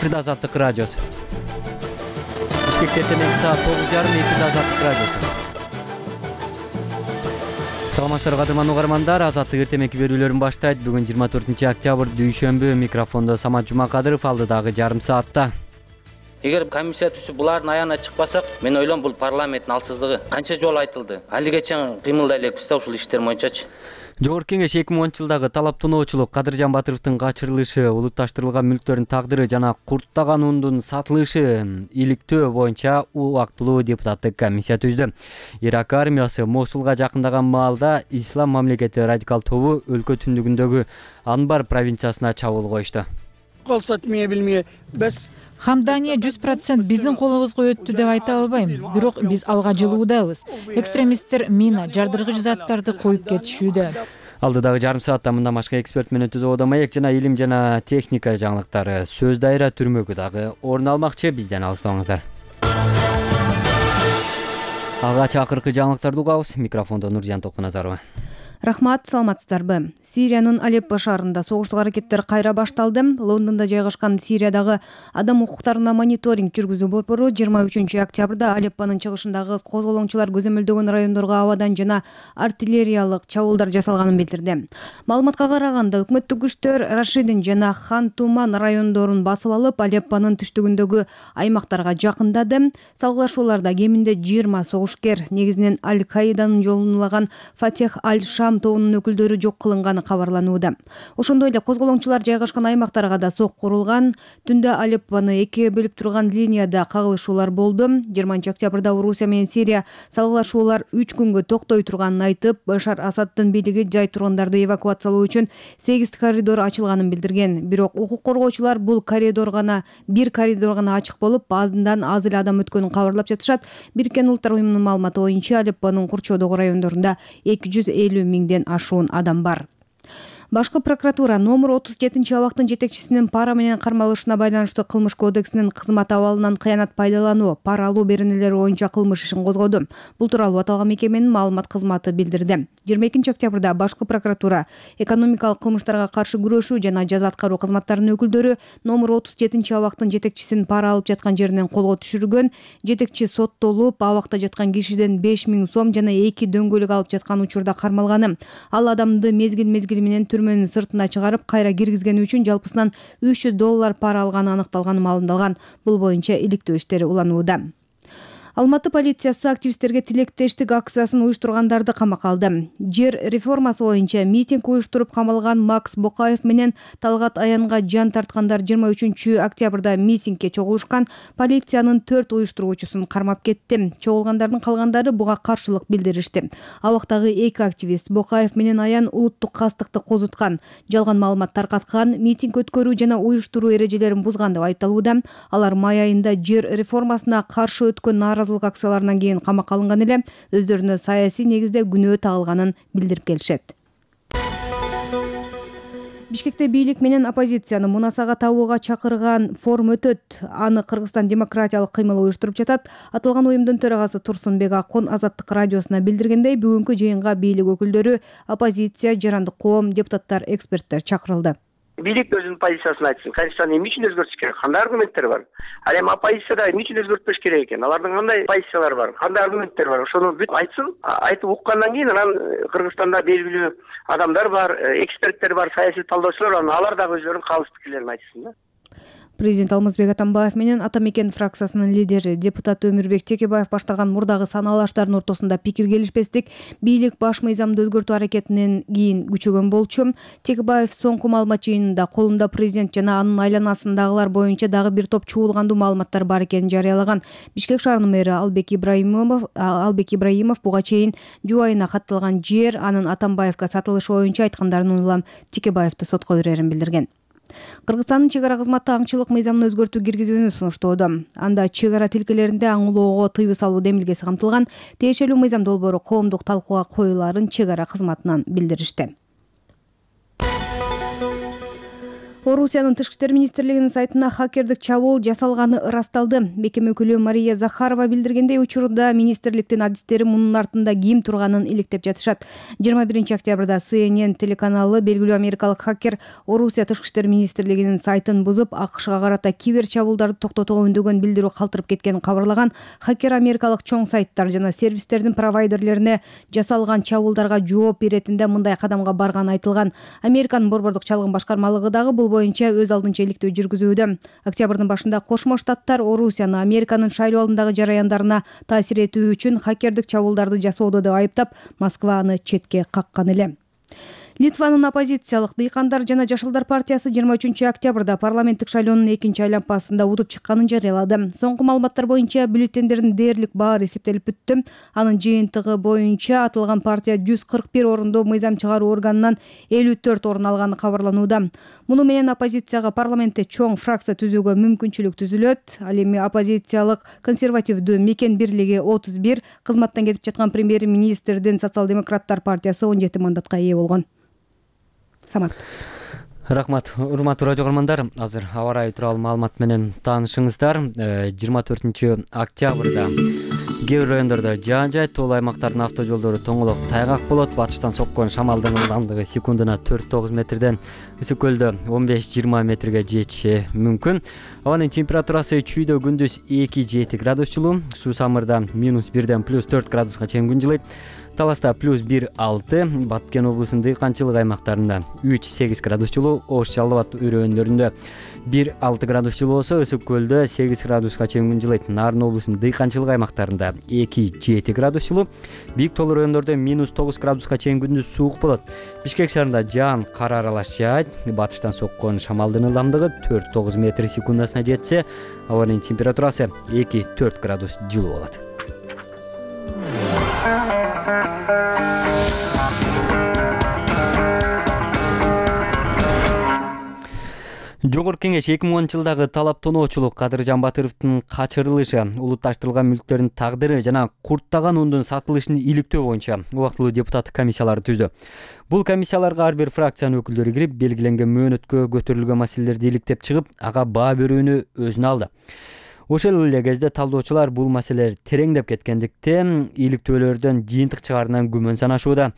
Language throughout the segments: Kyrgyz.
Эфирде Азаттык радиосу. Бишкекте эртең саат 9:30 эфирде Азаттык радиосу. Саламатсыздарбы кадырман угармандар, Азаттык эртең берүүлөрүн баштайт. Бүгүн 24 октябрь дүйшөмбү. Микрофондо Самат Жумакадыров, алдыдагы жарым саатта. Эгер комиссия түзүп булардын аягына чыкпасак, мен ойлойм бул парламенттин алсыздыгы. Канча жолу айтылды. Али чейин кыймылдай элекпиз да ушул иштер боюнчачы. Жогорку кеңеш 2010-жылдагы талаптоочулук, Кадыржан Батыровдун качырылышы, улутташтырылган мүлктөрдүн тагдыры жана курттаган ундун сатылышы иликтөө боюнча убактылуу депутаттык комиссия түздү. Ирак армиясы Мосулга жакындаган маалда Ислам мамлекети радикал тобу өлкө түндүгүндөгү Анбар провинциясына чабуул коюшту. Хамдания 100% биздин колубузга өттү деп айта албайм, бирок биз алга жылуудабыз. Экстремисттер мина, жардыргыч заттарды коюп кетишүүдө. Алдыдагы жарым саатта мындан башка эксперт менен түзүүдө маек жана илим жана техника жаңылыктары, сөз дайра түрмөгү дагы орун алмакчы. Бизден алыстабаңыздар. Алгач акыркы жаңылыктарды угабыз. Микрофондо Нуржан Токуназарова. Рахмат, саламатсыздарбы. Сириянын Алеппо шаарында согуштук аракеттер кайра башталды. Лондондо жайгашкан Сириядагы адам укуктарына мониторинг жүргүзүү борбору 23 октябрда Алеппонун чыгышындагы козголоңчулар көзөмөлдөгөн райондорго абадан жана артиллериялык чабуулдар жасалганын билдирди. Маалыматка караганда, өкмөттүк күчтөр Рашидин жана Хан Туман райондорун басып алып, Алеппонун түштүгүндөгү аймактарга жакындады. Салгылашууларда кеминде 20 согушкер, негизинен Аль-Каиданын жолунулаган Фатех Аль-Шам тобунун өкүлдөрү жок кылынганы кабарланууда. Ошондой эле козголоңчулар жайгашкан аймактарга да сок курулган. Түндө Алеппону экиге бөлүп турган линияда кагылышуулар болду. 20 октябрда Орусия менен Сирия салгылашуулар 3 күнгө токтой турганын айтып, Башар Асаддын бийлиги жай тургандарды эвакуациялоо үчүн 8 коридор ачылганын билдирген. Бирок укук коргоочулар бул бир коридор гана ачык болуп, аздан аз эле адам өткөнүн кабарлап жатышат. Бириккен Улуттар уюмунун маалыматы боюнча, Алеппонун курчоодогу райондорунда 250 миңден ашуун адам бар. Башкы прокуратура номер 37 абактын жетекчисинин пара менен кармалышына байланыштуу кылмыш кодексинин кызмат абалынан кыянат пайдалануу, пара алуу беренелери боюнча кылмыш ишин козгоду. Бул тууралуу аталган мекеменин маалымат кызматы билдирди. 22 октябрда башкы прокуратура экономикалык кылмыштарга каршы күрөшүү жана жаза аткаруу кызматтарынын өкүлдөрү номер 37 абактын жетекчисин пара алып жаткан жеринен колго түшүргөн. Жетекчи соттолуп, абакта жаткан кишиден 5 000 сом жана 2 дөңгөлөк алып жаткан учурда кармалганы. Ал адамды мезгил менен түрмөнүн сыртына чыгарып, кайра киргизгени үчүн жалпысынан $300 пара алганы аныкталганы маалымдалган. Бул боюнча иликтөө иштери уланууда. Алматы полициясы активисттерге тилектештик акциясын уюштургандарды камакка алды. Жер реформасы боюнча митинг уюштуруп камалган Макс Бокаев менен Талгат Аянга жан тарткандар 23 октябрда митингге чогулушкан. Полициянын 4 уюштуруучусун кармап кетти. Чогулгандардын калгандары буга каршылык билдиришти. Абактагы 2 активист Бокаев менен Аян улуттук кастыкты козуткан, жалган маалымат таркаткан, митинг өткөрүү жана уюштуруу эрежелерин бузган деп айыпталууда. Алар май айында жер реформасына каршы өткөн нааразылык акцияларынан кийин камакка алынган эле, өздөрүнө саясий негизде күнөө тагылганын билдирип келишет. Бишкекте бийлик менен оппозицияны мунасага табууга чакырган форум өтөт. Аны Кыргызстан демократиялык кыймыл уюштуруп жатат. Аталган уюмдун төрагасы Турсунбек Акон Азаттык радиосуна билдиргендей, бүгүнкү жыйынга бийлик өкүлдөрү, оппозиция, жарандык коом, депутаттар, эксперттер чакырылды. Бийлик өзүнүн позициясын айтсын. Конституцияны эмне үчүн өзгөртүш керек? Кандай аргументтер бар? Ал эми оппозицияда эмне үчүн өзгөртпөш керек экен? Алардын кандай позициялары бар? Кандай аргументтер бар? Ошону бүт айтсын. Айтып уккандан кийин анан Кыргызстанда белгилүү адамдар бар, эксперттер бар, саясий талдоочулар бар. Алар дагы өздөрүнүн калыс пикирлерин айтсын да. Президент Алмазбек Атамбаев менен Ата Мекен фракциясынын лидери депутат Өмүрбек Текебаев баштаган мурдагы санаалаштардын ортосунда пикир келишпестик бийлик баш мыйзамды өзгөртүү аракетинен кийин күчөгөн болчу. Текебаев соңку маалымат жыйынында колунда президент жана анын айланасындагылар боюнча дагы бир топ чуулгандуу маалыматтар бар экенин жарыялаган. Бишкек шаарынын мэри Албек Ибраимов буга чейин жубайына катталган жер анын Атамбаевга сатылышы боюнча айткандарын улам Текебаевди сотко берерин билдирген. Кыргызстандын чек ара кызматы аңчылык мыйзамына өзгөртүү киргизүүнү сунуштоодо. Анда чек ара тилкелеринде аң улоого тыюу салуу демилгеси камтылган. Тиешелүү мыйзам долбоору коомдук талкууга коюлаарын чек ара кызматынан билдиришти. Орусиянын тышкы иштер министрлигинин сайтына хакердик чабуул жасалганы ырасталды. Бекем өкүлү Мария Захарова билдиргендей, учурда министрликтин адистери мунун артында ким турганын иликтеп жатышат. 21 октябрда CNN телеканалы белгилүү америкалык хакер Орусия тышкы иштер министрлигинин сайтын бузуп, АКШга карата кибер чабуулдарды токтотууга үндөгөн билдирүү калтырып кеткенин кабарлаган. Хакер америкалык чоң сайттар жана сервистердин провайдерлерине жасалган чабуулдарга жооп беретинде мындай кадамга барганы айтылган. Американын борбордук чалгын башкармалыгы дагы бул боюнча өз алдынча иликтөө жүргүзүүдө. Октябрдын башында Кошмо Штаттар Орусияны Американын шайлоо алдындагы жараяндарына таасир этүү үчүн хакердик чабуулдарды жасоодо деп айыптап, Москва аны четке каккан эле. Литванын оппозициялык Дыйкандар жана Жашылдар партиясы 23 октябрда парламенттик шайлоонун экинчи айланпасында утуп чыкканын жарыялады. Соңку маалыматтар боюнча бюллетендердин дээрлик баары эсептелип бүттү. Анын жыйынтыгы боюнча аталган партия 141 орундуу мыйзам чыгаруу органынан 54 орун алганы кабарланууда. Муну менен оппозицияга парламентте чоң фракция түзүүгө мүмкүнчүлүк түзүлөт. Ал эми оппозициялык консервативдүү Мекен бирлиги 31, кызматтан кетип жаткан премьер-министрдин социал-демократтар партиясы 17 мандатка ээ болгон. Самат. Рахмат, урматтуу радио көрөрмандар. Азыр аба ырайы тууралуу маалымат менен таанышыңыздар. 24 октябрда кээ бир райондордо жаан-жай, тоолуу аймактардын авто жолдору тоңолок тайгак болот. Батыштан соккон шамалдын ылдамдыгы секундуна 4-9 метрден, Ысык көлдө 15-20 метрге жетиши мүмкүн. Абанын температурасы чүйдө күндүз 2-7 градус жылуу, суу самырда -1ден +4 градуска чейин күн жылыйт. Таласта +1-6, Баткен облусунун дыйканчылык аймактарында 3-8 градус жылуу, Ош Жалал Абад өрөөнлөрүндө 1-6 градус жылуу болсо, Ысык көлдө 8 градуска чейин күн жылыйт. Нарын облусунун дыйканчылык аймактарында 2-7 градус жылуу, Бийик тоолуу райондордо -9 градуска чейин күндүз суук болот. Бишкек шаарында жаан кар аралаш жаайт. Батыштан соккон шамалдын ылдамдыгы 4-9 метр секундасына жетсе, абанын температурасы 2-4 градус жылуу болот. Жогорку Кеңеш 2010-жылдагы талап тоноочулук Кадыржан Батыровдун качырылышы, улутташтырылган мүлктөрдүн тагдыры жана курттаган ундун сатылышын иликтөө боюнча убактылуу депутаттык комиссияларды түздү. Бул комиссияларга ар бир фракциянын өкүлдөрү кирип, белгиленген мөөнөткө көтөрүлгөн маселелерди иликтеп чыгып, ага баа берүүнү өзүнө алды. Ошол эле кезде талдоочулар бул маселелер тереңдеп кеткендиктен иликтөөлөрдөн жыйынтык чыгаарынан күмөн санашууда.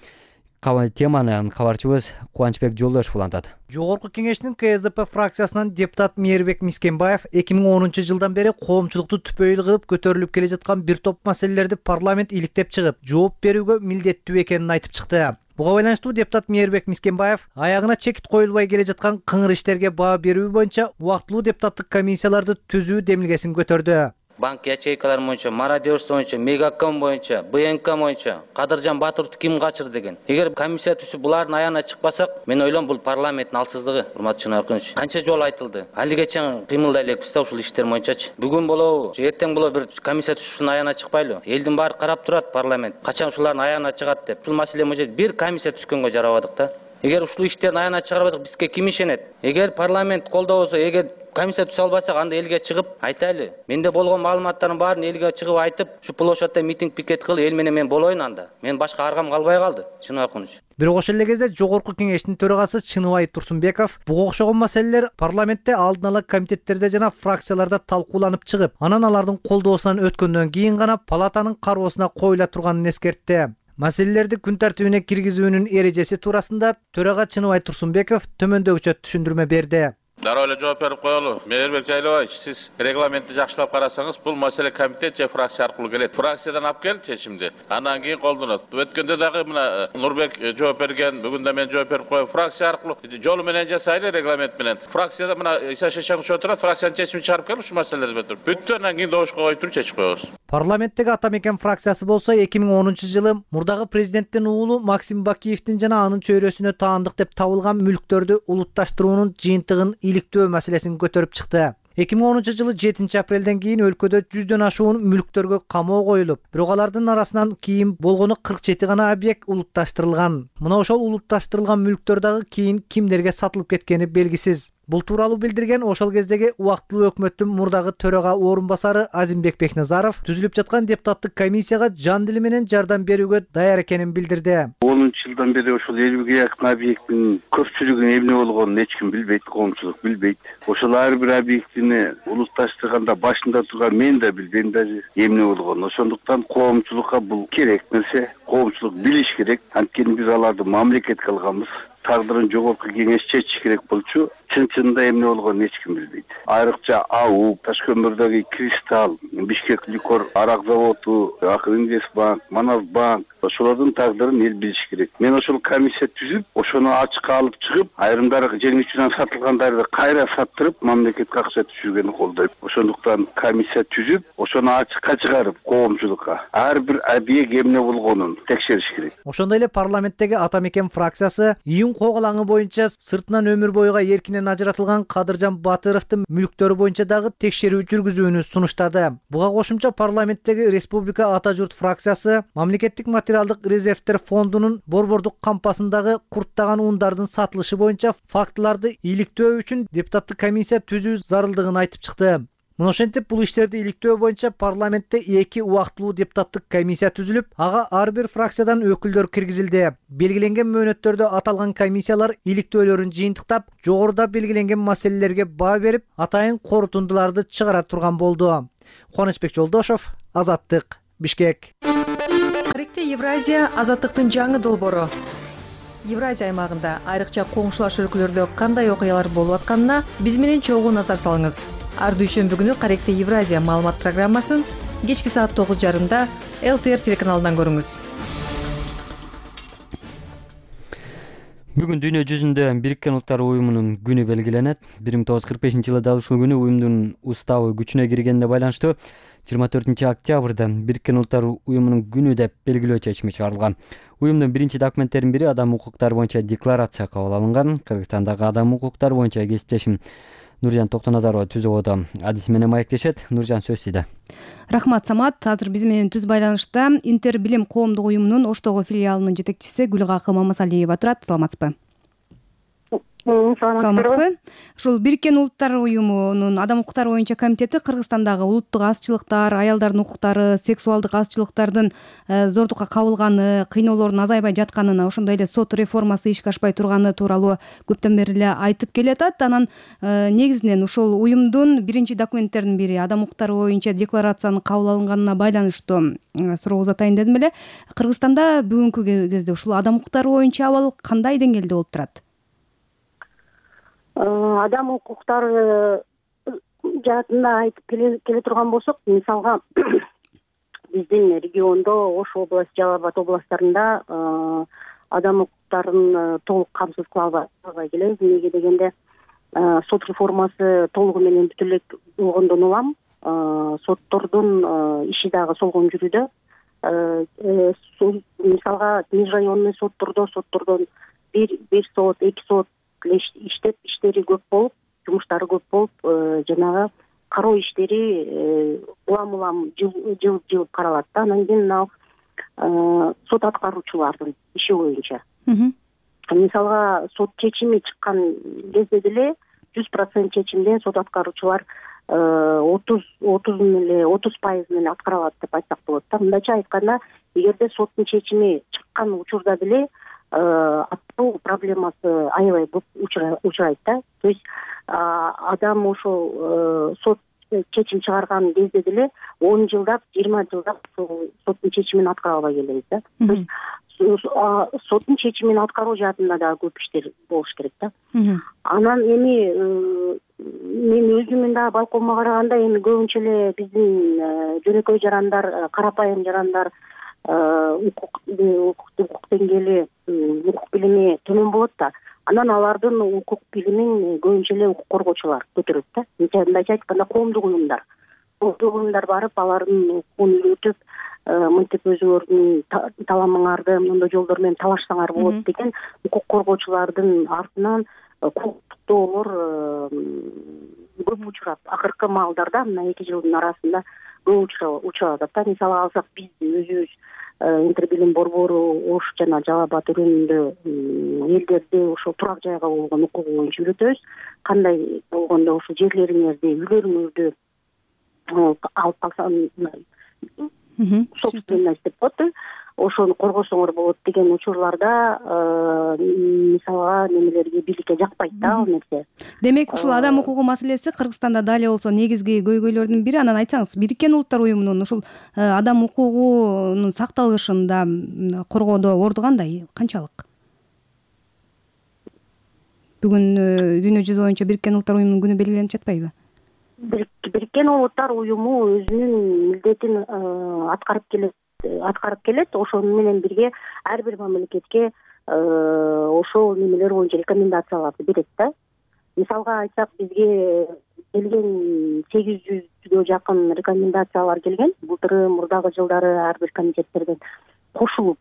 Теманы кабарчыбыз Кубанычбек Жолдошев улантат. Жогорку Кеңештин КСДП фракциясынан депутат Мээрбек Мискенбаев 2010-жылдан бери коомчулукту түпөйүл кылып көтөрүлүп келе жаткан бир топ маселелерди парламент иликтеп чыгып, жооп берүүгө милдеттүү экенин айтып чыкты. Буга байланыштуу депутат Мээрбек Мискенбаев аягына чекит коюлбай келе жаткан кыңыр иштерге баа берүү боюнча убактылуу депутаттык комиссияларды түзүү демилгесин көтөрдү. Банк ячейкалары боюнча, мародерство боюнча, Мегаком боюнча, БНК боюнча Кадыржан Батыровду ким качырды деген. Эгер комиссия түзүп булардын аягына чыкпасак, мен ойлойм бул парламенттин алсыздыгы. Урматтуу Чынаркынович, канча жолу айтылды. Алигечен кыймылдай элекпиз да ушул иштер боюнчачы. Бүгүн болобу, же эртең болобу бир комиссия түзүп ушунун аягына чыкпайлыбы? Элдин баары карап турат парламент. Качан ушулардын аягына чыгат деп. Ушул маселе боюнча бир комиссия түзгөнгө жарабадык да. Эгер ушул иштердин аягына чыгарбасак, бизге ким ишенет? Эгер парламент колдобосо, эгер комиссия түзө албасак, анда элге чыгып айтайлы. Менде болгон маалыматтардын баарын элге чыгып айтып, ушу площадьда митинг пикет кыл, эл менен мен болоюн анда. Мен башка аргам калбай калды, Чынаркынович. Бирок ошол эле кезде Жогорку Кеңештин төрагасы Чыныбай Турсунбеков буга окшогон маселелер парламентте алдын ала комитеттерде жана фракцияларда талкууланып чыгып, анан алардын колдоосунан өткөндөн кийин гана палатанын кароосуна коюла турганын эскертти. Маселелерди күн тартибине киргизүүнүн эрежеси туурасында төрага Чыныбай Турсунбеков төмөндөгүчө түшүндүрмө берди. Дароо эле жооп берип коелу. Мээрбек Жайлабаевич, сиз регламентти жакшылап карасаңыз, бул маселе комитет же фракция аркылуу келет. Фракциядан алып келип чечимди, андан кийин колдонот. Өткөндө дагы мына Нурбек жооп берген, бүгүн да мен жооп берип коем. Фракция аркылуу жолу менен жасайлы, регламент менен. Фракцияда мына Иса Шешенков отурат, фракциянын чечимин чыгарып келип ушул маселелерди бүтүп. Бүттү, андан кийин добушка коюп туруп чечип коебуз. Парламенттеги Ата Мекен фракциясы болсо 2010-жылы мурдагы президенттин уулу Максим Бакиевдин жана анын чөйрөсүнө таандык деп табылган мүлктөрдү улутташтыруунун жыйынтыгын иликтөө маселесин көтөрүп чыкты. 2010-жылы 7 апрелден кийин өлкөдө 100дөн ашуун мүлктөргө камоо коюлуп, бирок алардын арасынан кийин болгону 47 гана объект улутташтырылган. Мына ошол улутташтырылган мүлктөр дагы кийин кимдерге сатылып кеткени белгисиз. Бул тууралуу билдирген ошол кездеги убактылуу өкмөттүн мурдагы төрага орун басары Азимбек Бекназаров түзүлүп жаткан депутаттык комиссияга жан дили менен жардам берүүгө даяр экенин билдирди. 10 жылдан бери ошол элүүгө жакын объекттин көпчүлүгүн эмне болгонун эч ким билбейт, коомчулук билбейт. Ошол ар бир объектини улутташтырганда башында турган мен да билбейм даже эмне болгонун. Ошондуктан коомчулукка бул керек нерсе, коомчулук билиш керек. Анткени биз аларды мамлекетке алганбыз. Тагдырын жогорку кеңеш чечиш керек болчу. Чын-чынында эмне болгонун эч ким билбейт. Айрыкча АУ, Ташкөмүрдөгү Кристалл, Бишкек Ликор арак заводу, Акинвестбанк, Манасбанк ошолордун тагдырын эл билиш керек. Мен ошол комиссия түзүп, ошону ачыкка алып чыгып, айрымдары жеңил үчүнөн сатылгандарды кайра саттырып, мамлекетке акча түшүргөнү колдойм. Ошондуктан комиссия түзүп, ошону ачыкка чыгарып, коомчулукка ар бир объект эмне болгонун текшериш керек. Ошондой эле парламенттеги Ата Мекен фракциясы июнь коголаңы боюнча сыртынан өмүр бойуга эркинен ажыратылган Кадыржан Батыровдун мүлктөрү боюнча дагы текшерүү жүргүзүүнү сунуштады. Буга кошумча парламенттеги Республика Ата журт фракциясы мамлекеттик материалдык резервдер фондунун борбордук кампасындагы курттаган ундардын сатылышы боюнча фактыларды иликтөө үчүн депутаттык комиссия түзүү зарылдыгын айтып чыкты. Мына ошентип бул иштерди иликтөө боюнча парламентте 2 убактылуу депутаттык комиссия түзүлүп, ага ар бир фракциядан өкүлдөр киргизилди. Белгиленген мөөнөттөрдө аталган комиссиялар иликтөөлөрүн жыйынтыктап, жогоруда белгиленген маселелерге баа берип, атайын корутундуларды чыгара турган болду. Кубанычбек Жолдошов, Азаттык, Бишкек. Тарихте Евразия азаттыктын жаңы долбоору. Евразия аймагында айрыкча коңшулаш өлкөлөрдө кандай окуялар болуп атканына биз менен чогуу назар салыңыз. Ар дүйшөмбү күнү Каректе Евразия маалымат программасын кечки саат 9:30 ЛТР телеканалынан көрүңүз. Бүгүн дүйнө жүзүндө Бириккен Улуттар Уюмунун күнү белгиленет. 1945-жылы ушул күнү уюмдун уставы күчүнө киргенине байланыштуу 24 октябрда Бириккен Улуттар Уюмунун күнү деп белгилөө чечими чыгарылган. Уюмдун биринчи документтеринин бири адам укуктары боюнча декларация кабыл алынган. Кыргызстандагы адам укуктары боюнча кесиптешим Нуржан Токтоназарова түзөбодо адиси менен маектешет. Нуржан, сөз сизде. Рахмат, Самат. Азыр биз менен түз байланышта Интер билим коомдук уюмунун Оштогу филиалынын жетекчиси Гүлгакы Мамасалиева турат. Саламатсызбы? Саламатсызбы? Ушул Бириккен Улуттар Уюмунун адам укуктары боюнча комитети Кыргызстандагы улуттук азчылыктар, аялдардын укуктары, сексуалдык азчылыктардын зордукка кабылганы, кыйноолордун азайбай жатканына, ошондой эле сот реформасы ишке ашпай турганы тууралуу көптөн бери эле айтып келатат. Анан негизинен ушул уюмдун биринчи документтеринин бири адам укуктары боюнча декларациянын кабыл алынганына байланыштуу суроо узатайын дедим эле. Кыргызстанда бүгүнкү кезде ушул адам укуктары боюнча абал кандай деңгээлде болуп турат? Адам укуктары жаатында айтып келе турган болсок, мисалга биздин региондо Ош областы, Жалал Абад областтарында адам укуктарын толук камсыз кыла албай келебиз. Эмнеге дегенде сот реформасы толугу менен бүтө элек болгондон улам соттордун иши дагы солгон жүрүүдө. Мисалга межрайонный соттордон бир сот, 2 сот иштеп, иштери көп болуп, жумуштары көп болуп, жанагы кароо иштери улам жылып каралат да. Анан кийин мына сот аткаруучулардын иши боюнча. Мисалга сот чечими чыккан кезде деле 100% чечимден сот аткаруучулар 30% менен аткаралат деп айтсак болот да. Мындайча айтканда, эгерде соттун чечими чыккан учурда деле аттоо проблемасы аябай көп учурайт да. То есть адам ошол сот чечим чыгарган кезде деле 10 жылдап, 20 жылдап соттун чечимин аткара албай келебиз да. То есть соттун чечимин аткаруу жаатында да көп иштер болуш керек да. Анан эми мен өзүмүн да балконума караганда, эми көбүнчө эле биздин жөнөкөй жарандар, карапайым жарандар укук деңгээли, укук билими төмөн болот да. Анан алардын укук билимин көбүнчө эле укук коргоочулар көтөрөт да. Мындайча айтканда, коомдук уюмдар барып, алардын укугун үйрөтүп, мынтип өзүңөрдүн таламыңарды мындай жолдор менен талашсаңар болот деген укук коргоочулардын артынан кооптоолор көп учурат. Акыркы маалдарда, мына 2 жылдын арасында көп учурап атат да. Мисалы алсак, биз өзүбүз Интербилим борбору Ош жана Жалал Баатыр районунда элдерди ошол турак жайга болгон укугу боюнча үйрөтөбүз. Кандай болгондо ошо жерлериңерди, үйлөрүңөрдү алып калсаңыз собственность деп коет, ошону коргосоңор болот деген учурларда мисалга немелерге бийликке жакпайт да ал нерсе. Демек ушул адам укугу маселеси Кыргызстанда дал эле болсо негизги көйгөйлөрдүн бири. Анан айтсаңыз, Бириккен Улуттар уюмунун ушул адам укугунун сакталышында коргоодо орду кандай, канчалык? Бүгүн дүйнө жүзү боюнча Бириккен Улуттар уюмунун күнү белгиленип жатпайбы? Бириккен Улуттар уюму өзүнүн милдетин аткарып келет. Ошону менен бирге ар бир мамлекетке ошол немелер боюнча рекомендацияларды берет да. Мисалга айтсак, бизге келген 800гө жакын рекомендациялар келген. Былтыры, мурдагы жылдары ар бир комитеттерден кошулуп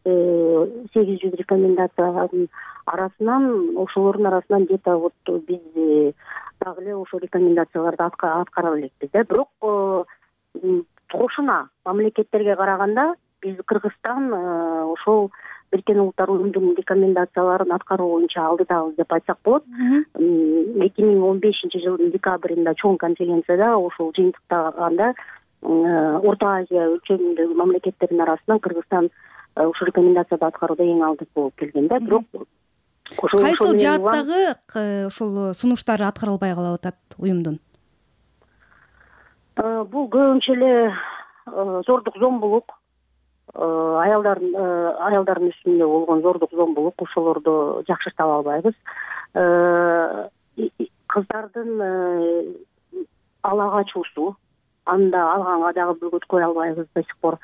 800 рекомендациянын арасынан, ошолордун арасынан где-то вот биз дагы эле ошол рекомендацияларды аткара элекпиз да. Бирок кошуна мамлекеттерге караганда биз Кыргызстан ошол Бириккен Улуттар уюмунун рекомендацияларын аткаруу боюнча алдыдабыз деп айтсак болот. 2015-жылдын декабрында чоң конференцияда ошол жыйынтыктаганда Орто Азия өлчөмүндөгү мамлекеттердин арасынан Кыргызстан ушул рекомендацияды аткарууда эң алдык болуп келген да. Бирок кайсыл жааттагы ошол сунуштары аткарылбай калып атат уюмдун? Бул көбүнчө эле зордук зомбулук, аялдардын үстүндө болгон зордук зомбулук, ошолорду жакшырта албайбыз. Кыздардын ала качуусу, анда алганга дагы бөгөт кое албайбыз до сих пор.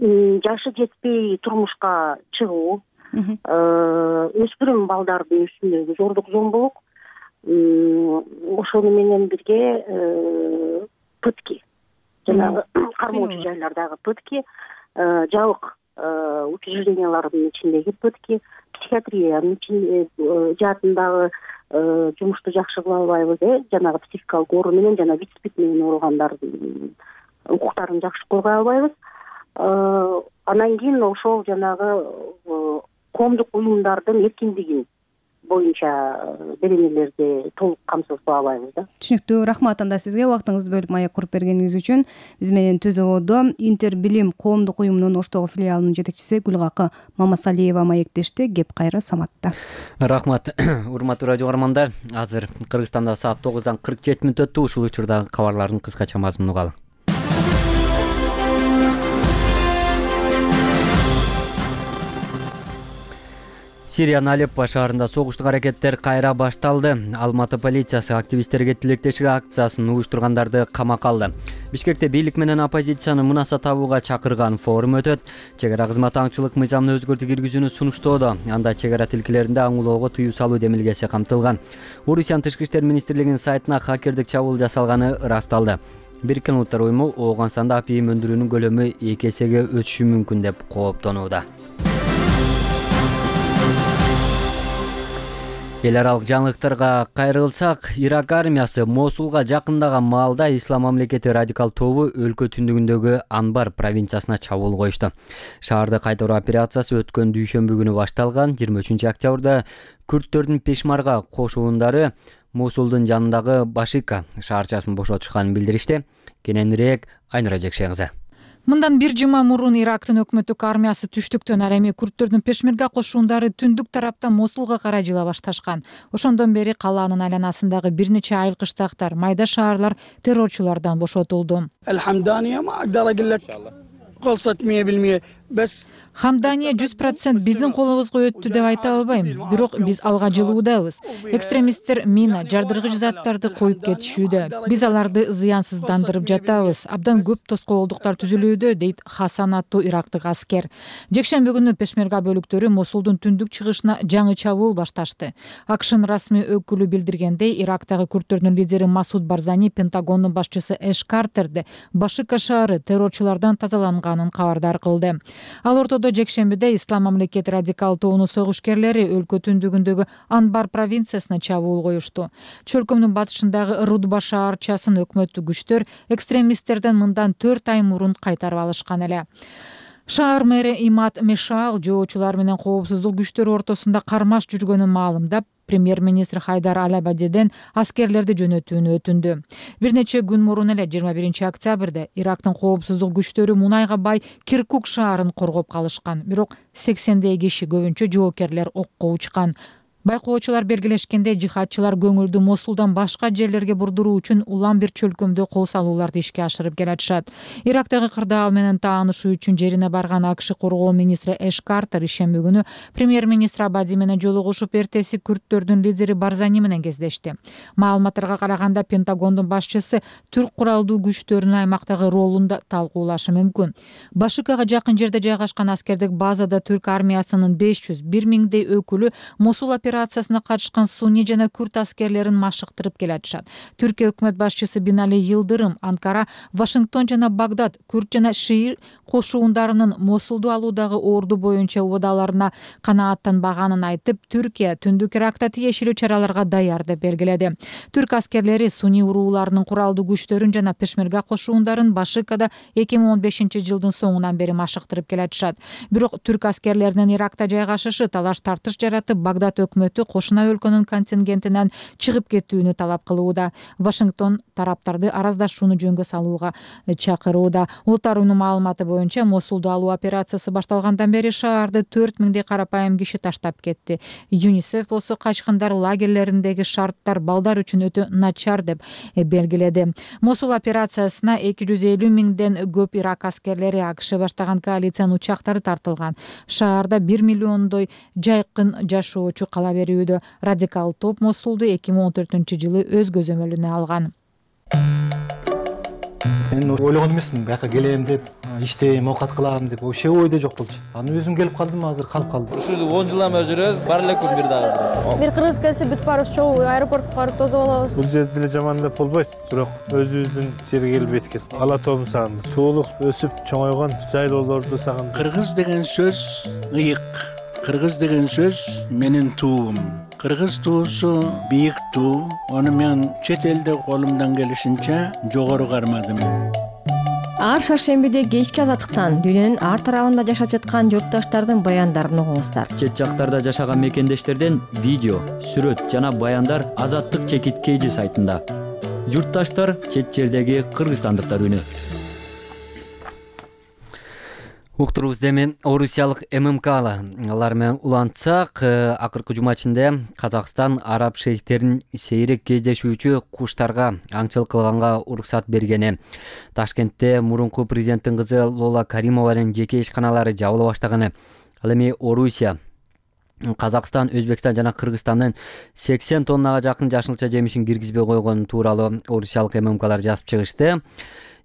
Жашы жетпей турмушка чыгуу, өспүрүм балдардын үстүндөгү зордук зомбулук, ошону менен бирге пытки, жанагы кармоочу жайлардагы пытки, жабык учреждениялардын ичиндеги пытки, психиатриянын жаатындагы жумушту жакшы кыла албайбыз, жанагы психикалык оору менен жана ВИЧ/СПИД менен ооругандардын укуктарын жакшы коргой албайбыз. Анан кийин ошол жанагы коомдук уюмдардын эркиндигин боюнча беренелерди толук камсыз кыла албайбыз да. Түшүнүктүү. Рахмат анда сизге убактыңызды бөлүп маек куруп бергениңиз үчүн. Биз менен Түзөгөдө Интербилим коомдук уюмунун Оштогу филиалынын жетекчиси Гүлгакы Мамасалиева маектешти. Кеп кайра Саматта. Рахмат. Урматтуу радио көрөрмандар, азыр Кыргызстанда саат 9:47 өттү. Ушул учурдагы кабарлардын кыскача мазмуну угалы. Сириянын Алеппо шаарында согуштук аракеттер кайра башталды. Алматы полициясы активисттерге тилектешик акциясын уюштургандарды камакка алды. Бишкекте бийлик менен оппозицияны мунаса табууга чакырган форум өтөт. Чек ара кызматы аңчылык мыйзамына өзгөртүү киргизүүнү сунуштоодо. Анда чек ара тилкелеринде аңлоого тыюу салуу демилгеси камтылган. Орусиянын Тышкы иштер министрлигинин сайтына хакердик чабуул жасалганы ырасталды. Бириккен Улуттар уюму Ооганстанда апийим өндүрүүнүн көлөмү 2 эсеге өсүшү мүмкүн деп кооптонууда. Эл аралык жаңылыктарга кайрылсак, Ирак армиясы Мосулга жакындаган маалда Ислам мамлекети радикал тобу өлкө түндүгүндөгү Анбар провинциясына чабуул коюшту. Шаарды кайтаруу операциясы өткөн дүйшөмбү күнү башталган. 23 октябрда күрттөрдүн Пешмарга кошуундары Мосулдун жанындагы Башика шаарчасын бошотушканын билдиришти. Кененирээк Айнура Жекшен кызы. Мындан бир жума мурун Ирактын өкмөттүк армиясы түштүктөн, ал эми күрттөрдүн Пешмерга кошуундары түндүк тараптан Мосулга карай жыла башташкан. Ошондон бери калаанын айланасындагы бир нече айыл кыштактар, майда шаарлар террорчулардан бошотулду. Хамдания 100% биздин колубузга өттү деп айта албайм, бирок биз алга жылуудабыз. Экстремисттер мина, жардыргыч заттарды коюп кетишүүдө. Биз аларды зыянсыздандырып жатабыз. Абдан көп тоскоолдуктар түзүлүүдө, дейт Хасан аттуу ирактык аскер. Жекшемби күнү Пешмерга бөлүктөрү Мосулдун түндүк чыгышына жаңы чабуул башташты. АКШнын расмий өкүлү билдиргендей, Ирактагы күрттөрдүн лидери Масуд Барзани Пентагондун башчысы Эш Картерди Башика шаары террорчулардан тазаланган алынганын кабардар кылды. Ал ортодо жекшембиде Ислам мамлекети радикал тобунун согушкерлери өлкө түндүгүндөгү Анбар провинциясына чабуул коюшту. Чөлкөмдүн батышындагы Рудба шаарчасын өкмөттүк күчтөр экстремисттерден мындан 4 ай мурун кайтарып алышкан эле. Шаар мэри Имад Мешал жоочулар менен коопсуздук күчтөрү ортосунда кармаш жүргөнүн маалымдап, премьер-министр Хайдар Аль-Абадиден аскерлерди жөнөтүүнү өтүндү. Бир нече күн мурун эле 21 октябрда Ирактын коопсуздук күчтөрү мунайга бай Киркук шаарын коргоп калышкан. Бирок 80 киши, көбүнчө жоокерлер, окко учкан. Байкоочулар белгилешкендей, жихадчылар көңүлдү Мосулдан башка жерлерге бурдуруу үчүн улам бир чөлкөмдө кол салууларды ишке ашырып келатышат. Ирактагы кырдаал менен таанышуу үчүн жерине барган АКШ коргоо министри Эш Картер ишемби күнү премьер-министр Абади менен жолугушуп, эртеси күрдтөрдүн лидери Барзани менен кездешти. Маалыматтарга караганда, Пентагондун башчысы түрк куралдуу күчтөрүнүн аймактагы ролун да талкуулашы мүмкүн. Башыкага жакын жерде жайгашкан аскердик базада түрк армиясынын 500-1000 өкүлү Мосул операциясына катышкан сунни жана күрд аскерлерин машыктырып келатышат. Түркия өкмөт башчысы Бинали Йылдырым Анкара, Вашингтон жана Багдад күрд жана шиир кошуундарынын Мосулду алуудагы орду боюнча убадаларына канааттанбаганын айтып, Түркия түндүк Иракта тиешелүү чараларга даяр деп белгиледи. Түрк аскерлери сунни урууларынын куралдуу күчтөрүн жана пешмерга кошуундарын Башыкада 2015-жылдын соңунан бери машыктырып келатышат. Бирок түрк аскерлеринин Иракта жайгашышы талаш-тартыш жаратып, Багдад өкмөтү кошуна өлкөнүн контингентинен чыгып кетүүнү талап кылууда. Вашингтон тараптарды араздашууну жөнгө салууга чакырууда. Улуттар уюмунун маалыматы боюнча, Мосулду алуу операциясы башталгандан бери шаарды 4000 карапайым киши таштап кетти. ЮНИСЕФ болсо качкындар лагерлериндеги шарттар балдар үчүн өтө начар деп белгиледи. Мосул операциясына 250 000ден көп Ирак аскерлери, АКШ баштаган коалициянын учактары тартылган. Шаарда 1 миллиондой жайкын жашоочу кала берүүдө. Радикал топ Мосулду 2014-жылы өз көзөмөлүнө алган. Мен ойлогон эмесмин, бияка келем деп, иштейм, оокат кылам деп, вообще ойдо жок болчу. Аны өзүм келип калдым, азыр калып калдым. Ушу 10 жылдан бери жүрөбүз, бар эле күн бир дагы. Бир кыргыз келсе бүт барыбыз чогуу аэропортко барып тосуп алабыз. Бул жерде деле жаман деп болбойт, бирок өзүбүздүн жерге келип эткен. Ала тоом сагындым. Туулуп, өсүп, чоңойгон жайлоолорду сагындым. Кыргыз деген сөз ыйык. Кыргыз деген сөз менин туум. Кыргыз туусу бийик туу. Аны мен чет элде колумдан келишинче жогору кармадым. Ар шаршембиде кечки азаттыктан дүйнөнүн ар тарабында жашап жаткан журтташтардын баяндарын угуңуздар. Чет жактарда жашаган мекендештерден видео, сүрөт жана баяндар Азаттык чекиткейжи сайтында. Журтташтар чет жердеги кыргызстандыктар үнү. Уктурубузда эми орусиялык ММК алар менен улантсак, акыркы жума ичинде Казакстан араб шейхтерин сейрек кездешүүчү куштарга аңчылык кылганга уруксат бергени, Ташкентте мурунку президенттин кызы Лола Каримованын жеке ишканалары жабыла баштаганы, ал эми Орусия, Казакстан, Өзбекстан жана Кыргызстандын 80 тоннага жакын жашылча жемишин киргизбей койгону тууралуу орусиялык ММКлар жазып чыгышты.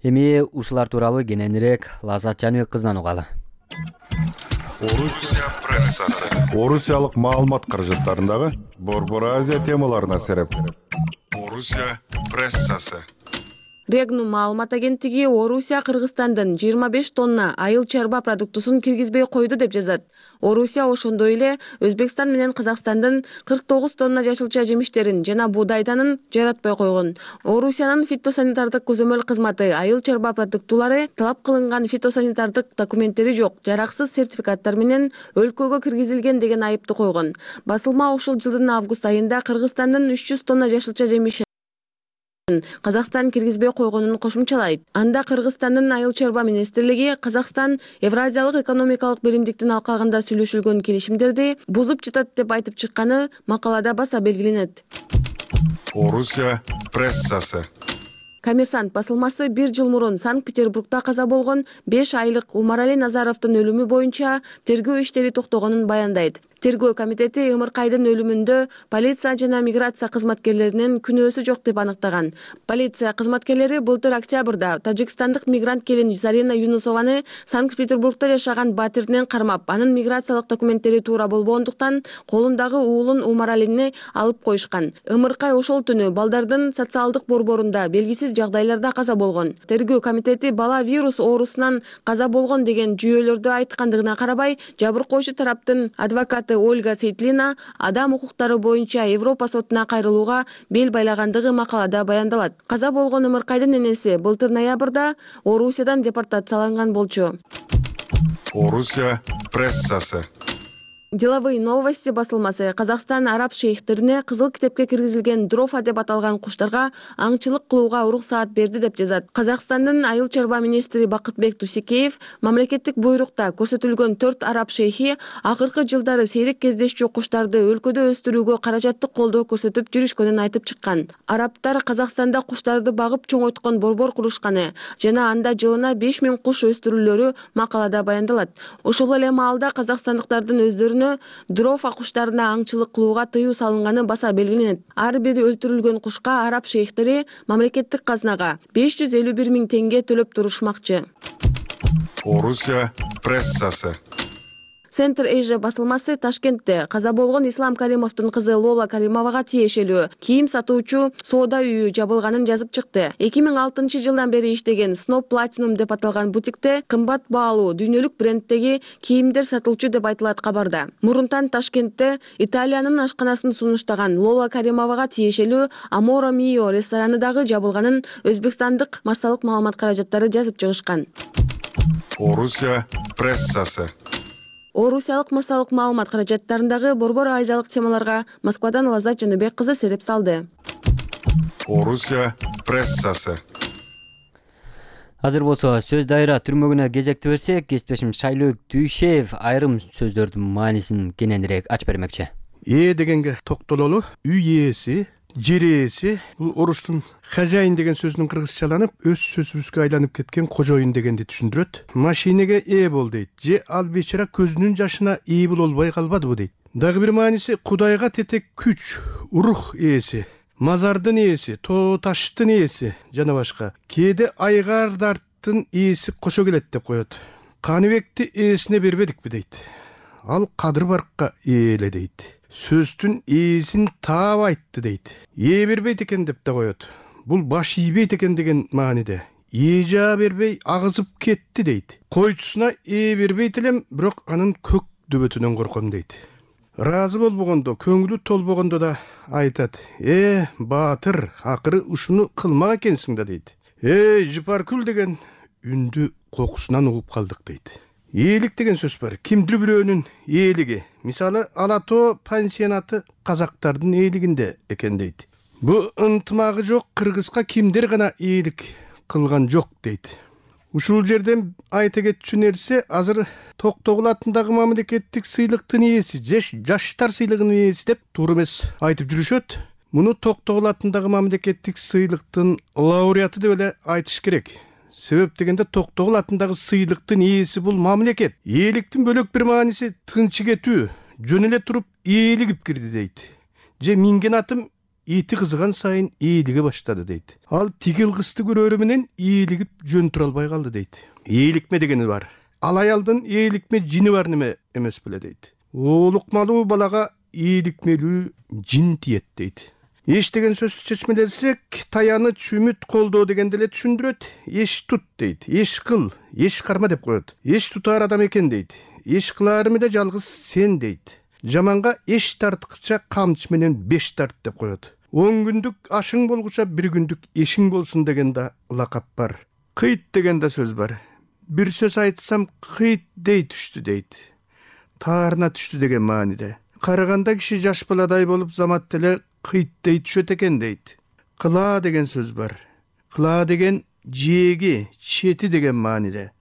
Эми ушулар тууралуу кененирээк Лаззат Жаныбек кызынан угалы. Орусия прессасы. Орусиялык маалымат каражаттарындагы Борбор Азия темаларына сереп. Орусия прессасы. Регнум маалымат агенттиги Орусия Кыргызстандын 25 тонна айыл чарба продуктусун киргизбей койду деп жазат. Орусия ошондой эле Өзбекстан менен Казакстандын 49 тонна жашылча жемиштерин жана буудайданын жаратпай койгон. Орусиянын фитосанитардык көзөмөл кызматы айыл чарба продуктулары талап кылынган фитосанитардык документтери жок, жараксыз сертификаттар менен өлкөгө киргизилген деген айыпты койгон. Басылма ушул жылдын август айында Кыргызстандын 300 тонна жашылча жемиши Казакстан киргизбей койгонун кошумчалайт. Анда Кыргызстандын айыл чарба министрлиги Казакстан Евразиялык экономикалык биримдиктин алкагында сүйлөшүлгөн келишимдерди бузуп жатат деп айтып чыкканы макалада баса белгиленет. Орусия прессасы. Коммерсант басылмасы 1 жыл мурун Санкт-Петербургда каза болгон 5 айлык Умарали Назаровдун өлүмү боюнча тергөө иштери токтогонун баяндайт. Тергөө комитети Ымыркайдын өлүмүндө полиция жана миграция кызматкерлеринин күнөөсү жок деп аныктаган. Полиция кызматкерлери былтыр октябрда тажикстандык мигрант келин Зарина Юнусованы Санкт-Петербургда жашаган батиринен кармап, анын миграциялык документтери туура болбогондуктан колундагы уулун Умаралини алып коюшкан. Ымыркай ошол түнү балдардын социалдык борборунда белгисиз жагдайларда каза болгон. Тергөө комитети бала вирус оорусунан каза болгон деген жүйөлөрдү айткандыгына карабай, жабыркоочу тараптын адвокаты Ольга Сейтлина адам укуктары боюнча Европа сотуна кайрылууга бел байлагандыгы макалада баяндалат. Каза болгон Ымыркайдын энеси былтыр ноябрда Орусиядан депортацияланган болчу. Орусия прессасы. Деловые новости басылмасы Казакстан араб шейхтерине кызыл китепке киргизилген дрофа деп аталган куштарга аңчылык кылууга уруксаат берди деп жазат. Казакстандын айыл чарба министри Бакытбек Тусекеев мамлекеттик буйрукта көрсөтүлгөн 4 араб шейхи акыркы жылдары сейрек кездешчү куштарды өлкөдө өстүрүүгө каражаттык колдоо көрсөтүп жүрүшкөнүн айтып чыккан. Арабтар Казакстанда куштарды багып чоңойткон борбор курушканы жана анда жылына 5000 куш өстүрүүлөрү макалада баяндалат. Ошол эле маалда казакстандыктардын өздөрүнө дрофа куштарына аңчылык кылууга тыюу салынганы баса белгиленет. Ар бир өлтүрүлгөн кушка араб шейхтери мамлекеттик казнага 551 000 теңге төлөп турушмакчы. Орусия прессасы. Центр Эйжа басылмасы Ташкентте каза болгон Ислам Каримовдун кызы Лола Каримовага тиешелүү кийим сатуучу соода үйү жабылганын жазып чыкты. 2006 жылдан бери иштеген Snob Platinum деп аталган бутикте кымбат баалуу дүйнөлүк бренддеги кийимдер сатылчу деп айтылат кабарда. Мурунтан Ташкентте Италиянын ашканасын сунуштаган Лола Каримовага тиешелүү Amore Mio рестораны дагы жабылганын өзбекстандык массалык маалымат каражаттары жазып чыгышкан. Орусия прессасы. Орусиялык массалык маалымат каражаттарындагы борбор азиялык темаларга Москвадан Лазат Жаныбек кызы сереп салды. Орусия прессасы. Азыр болсо сөз дайра түрмөгүнө кезекти берсек, кесиптешим Шайлөк Дүйшев айрым сөздөрдүн маанисин кененирээк ачып бермекчи. Дегенге токтололу, үй ээси, жер ээси, бул орустун хозяин деген сөзүнүн кыргызчаланып, өз сөзүбүзгө айланып кеткен кожоюн дегенди түшүндүрөт. Машинеге ээ бол дейт. Же ал бечара көзүнүн жашына ээ болбой калбадыбы дейт. Дагы бир мааниси Кудайга тетек күч, рух ээси, мазардын ээси, тоо таштын ээси жана башка. Кээде айгардарттын ээси кошо келет деп коет. Каныбекти ээсине бербедикпи дейт. Ал Кадыр Баркка ээле дейт. Сөздүн ээсин таап айтты дейт. Ээ бербейт экен деп да коет. Бул баш ийбейт экен деген мааниде. Ээ жаа бербей агызып кетти дейт. Койчусуна ээ бербейт элем, бирок анын көк дөбөтүнөн корком дейт. Ыраазы болбогондо, көңүлү толбогондо да айтат. Баатыр, акыры ушуну кылмак экенсиң да дейт. Жыпаркүл деген үндү кокусунан угуп калдык дейт. Ээлик деген сөз бар. Кимдир бирөөнүн ээлиги. Мисалы, Алатоо пансионаты казактардын ээлигинде экен дейт. Бу ынтымагы жок кыргызга кимдир гана ээлик кылган жок дейт. Ушул жерден айта кетчү нерсе, азыр Токтогул атындагы мамлекеттик сыйлыктын ээси, жаштар сыйлыгынын ээси деп туура эмес айтып жүрүшөт. Муну Токтогул атындагы мамлекеттик сыйлыктын лауреаты деп эле айтыш керек. Себеп дегенде Токтогул атындагы сыйлыктын ээси бул мамлекет. Ээликтин бөлөк бир мааниси тынчы кетүү, жөн эле туруп ээлигип кирди дейт. Же минген атым ити кызыган сайын ээлиге баштады дейт. Ал тигил кызды көрөрү менен ээлигип жөн тура албай калды дейт. Ээликме дегени бар. Ал аялдын ээликме жини бар неме эмес беле дейт. Оолукмалуу балага ээликмелүү жин тиет дейт. Еш деген сөз чечмелесек, таяныч, үмүт, колдоо дегенди эле түшүндүрөт. Еш тут дейт. Еш кыл, еш карма деп коет. Еш тутар адам экен дейт. Еш кыларымы да жалгыз сен дейт. Жаманга еш тарткыча камчы менен 5 тарт деп коет. 10 күндүк ашың болгуча 1 күндүк эшиң болсун деген да лакап бар. Кыйт деген да сөз бар. Бир сөз айтсам кыйт дей түштү дейт. Таарына түштү деген мааниде. Караганда киши жаш баладай болуп замат эле кыйт дей түшөт экен дейт. Кыла деген сөз бар. Кыла деген жээги, чети деген мааниде.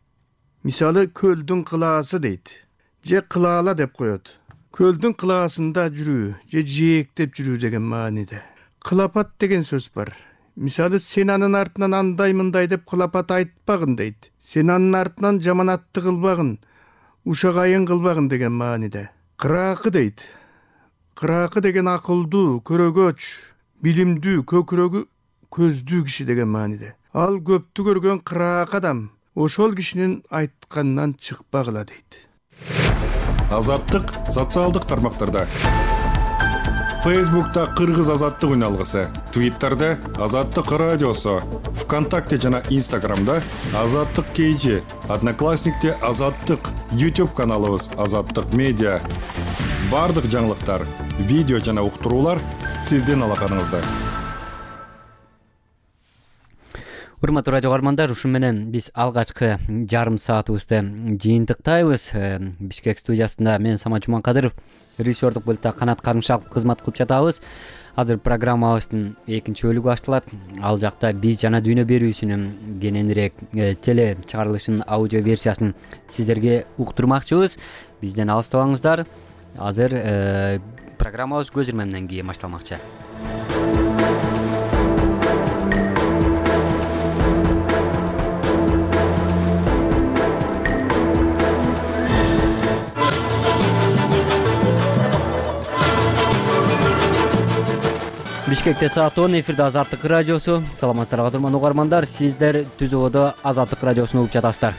Мисалы, көлдүн кылаасы дейт. Же кылаала деп коет. Көлдүн кылаасында жүрүү, же жээктеп жүрүү деген мааниде. Кылапат деген сөз бар. Мисалы, сен анын артынан андай мындай деп кылапат айтпагын дейт. Сен анын артынан жаманатты кылбагын, ушагайын кылбагын деген мааниде. Кыраакы дейт. Кыраакы деген акылдуу, көрөгөч, билимдүү, көкүрөгү көздүү киши деген мааниде. Ал көптү көргөн кыраак адам ошол кишинин айтканынан чыкпагыла дейт. Азаттык социалдык тармактарда. Фейсбукта Кыргыз азаттык үналгысы, Твиттерде Азаттык радиосу, ВКонтакте жана Инстаграмда Азаттык KG, Одноклассникте Азаттык, YouTube каналыбыз Азаттык медиа. Бардык жаңылыктар, видео жана уктуруулар сиздин алаканыңызда. Урматтуу радио каармандар, ушу менен биз алгачкы жарым саатыбызды жыйынтыктайбыз. Бишкек студиясында мен Самат Жуманкадыров, режиссердук бөлүктө Канат Карымшаков кызмат кылып жатабыз. Азыр программабыздын экинчи бөлүгү башталат. Ал жакта биз жана дүйнө берүүсүнүн кененирээк теле чыгарылышынын аудио версиясын сиздерге уктурмакчыбыз. Бизден алыстабаңыздар. Азыр программабыз көз ирмемден кийин башталмакчы. Бишкекте саат 10, эфирде Азаттык радиосу. Саламатсыздарбы турмандуу угармандар, сиздер түзүүдө Азаттык радиосуну угуп жатасыздар.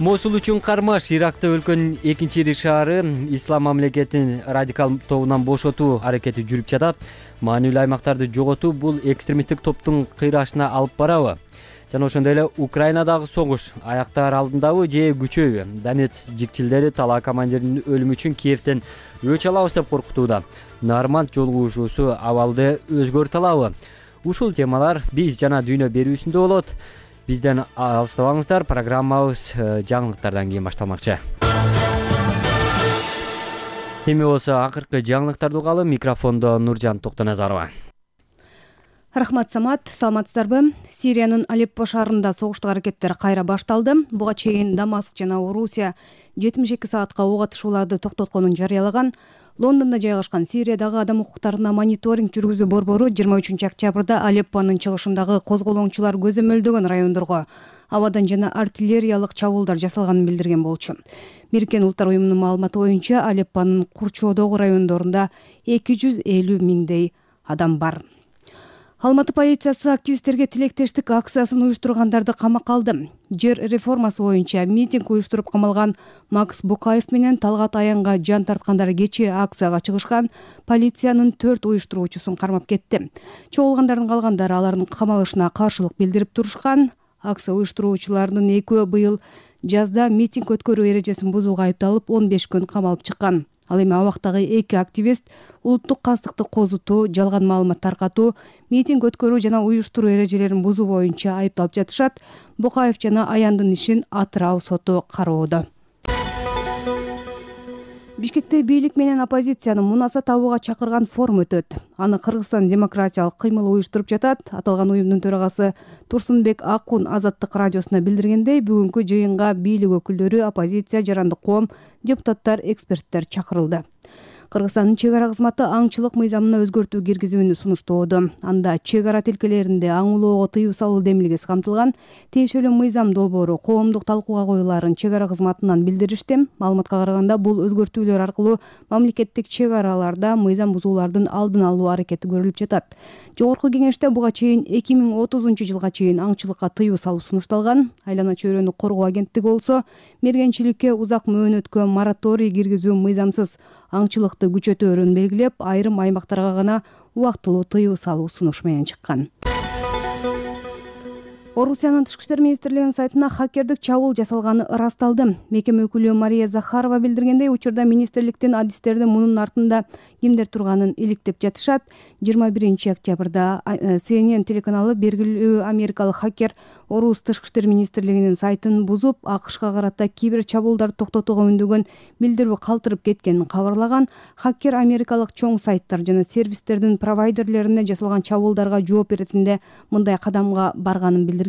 Мосул үчүн кармаш Иракта өлкөнүн экинчи ири шаары ислам мамлекетин радикал тобунан бошотуу аракети жүрүп жатат. Маанилүү аймактарды жоготуу бул экстремисттик топтун кыйрашына алып барабы? Жана ошондой эле Украинадагы согуш аяктаар алдындабы же күчөйбү? Донецк жикчилдери талаа командиринин өлүмү үчүн Киевден өч алабыз деп коркутууда. Нарманд жолугушуусу абалды өзгөртө алабы? Ушул темалар биз жана дүйнө берүүсүндө болот. Бизден алыстабаңыздар, программабыз жаңылыктардан кийин башталмакчы. Эми болсо акыркы жаңылыктарды угалы. Микрофондо Нуржан Токтоназарова. Рахмат, Самат. Саламатсыздарбы? Сириянын Алеппо шаарында согуштук аракеттер кайра башталды. Буга чейин Дамаск жана Орусия 72 саатка ок атышууларды токтотконун жарыялаган. Лондондо жайгашкан Сириядагы адам укуктарына мониторинг жүргүзүү борбору 23 октябрда Алеппонун чыгышындагы козголоңчулар көзөмөлдөгөн райондорго абадан жана артиллериялык чабуулдар жасалганын билдирген болчу. Бириккен Улуттар уюмунун маалыматы боюнча Алеппонун курчоодогу райондорунда 250 миңдей адам бар. Алматы полициясы активисттерге тилектештик акциясын уюштургандарды камакка алды. Жер реформасы боюнча митинг уюштуруп камалган Макс Букаев менен Талгат Аянга жан тарткандар кечээ акцияга чыгышкан полициянын 4 уюштуруучусун кармап кетти. Чогулгандардын калгандары алардын камалышына каршылык билдирип турушкан. Акция уюштуруучуларынын экөө быйыл жазда митинг өткөрүү эрежесин бузууга айыпталып 15 күн камалып чыккан. Ал эми абактагы 2 активист улуттук кастыкты козутуу, жалган маалымат таркатуу, митинг өткөрүү жана уюштуруу эрежелерин бузуу боюнча айыпталып жатышат. Букаев жана Аяндын ишин Атырау соту кароодо. Бишкекте бийлик менен оппозицияны мунаса табууга чакырган форум өтөт. Аны Кыргызстан демократиялык кыймыл уюштуруп жатат. Аталган уюмдун төрагасы Турсунбек Акун Азаттык радиосуна билдиргендей, бүгүнкү жыйынга бийлик өкүлдөрү, оппозиция, жарандык коом, депутаттар, эксперттер чакырылды. Кыргызстандын чек ара кызматы аңчылык мыйзамына өзгөртүү киргизүүнү сунуштоодо. Анда чек ара тилкелеринде аңулоого тыюу салуу демилгеси камтылган. Тиешелүү мыйзам долбоору коомдук талкууга коюлаарын чек ара кызматынан билдиришти. Маалыматка караганда, бул өзгөртүүлөр аркылуу мамлекеттик чек араларда мыйзам бузуулардын алдын алуу аракети көрүлүп жатат. Жогорку кеңеште буга чейин 2030 жылга чейин аңчылыкка тыюу салуу сунушталган. Айлана чөйрөнү коргоо агенттиги болсо мергенчиликке узак мөөнөткө мораторий киргизүү мыйзамсыз аңчылыкты күчөтөөрүн белгилеп, айрым аймактарга гана убактылуу тыюу салуу сунуш менен чыккан. Орусиянын Тышкы иштер министрлигинин сайтына хакердик чабуул жасалганы ырасталды. Мекеме өкүлү Мария Захарова билдиргендей, учурда министрликтин адистерди мунун артында кимдер турганын иликтеп жатышат. 21 октябрда CNN телеканалы белгилүү америкалык хакер Орус Тышкы иштер министрлигинин сайтын бузуп, АКШга карата кибер чабуулдарды токтотууга үндөгөн билдирүү калтырып кеткенин кабарлаган. Хакер америкалык чоң сайттар жана сервистердин провайдерлерине жасалган чабуулдарга жооп иретинде мындай кадамга барганын билдирген.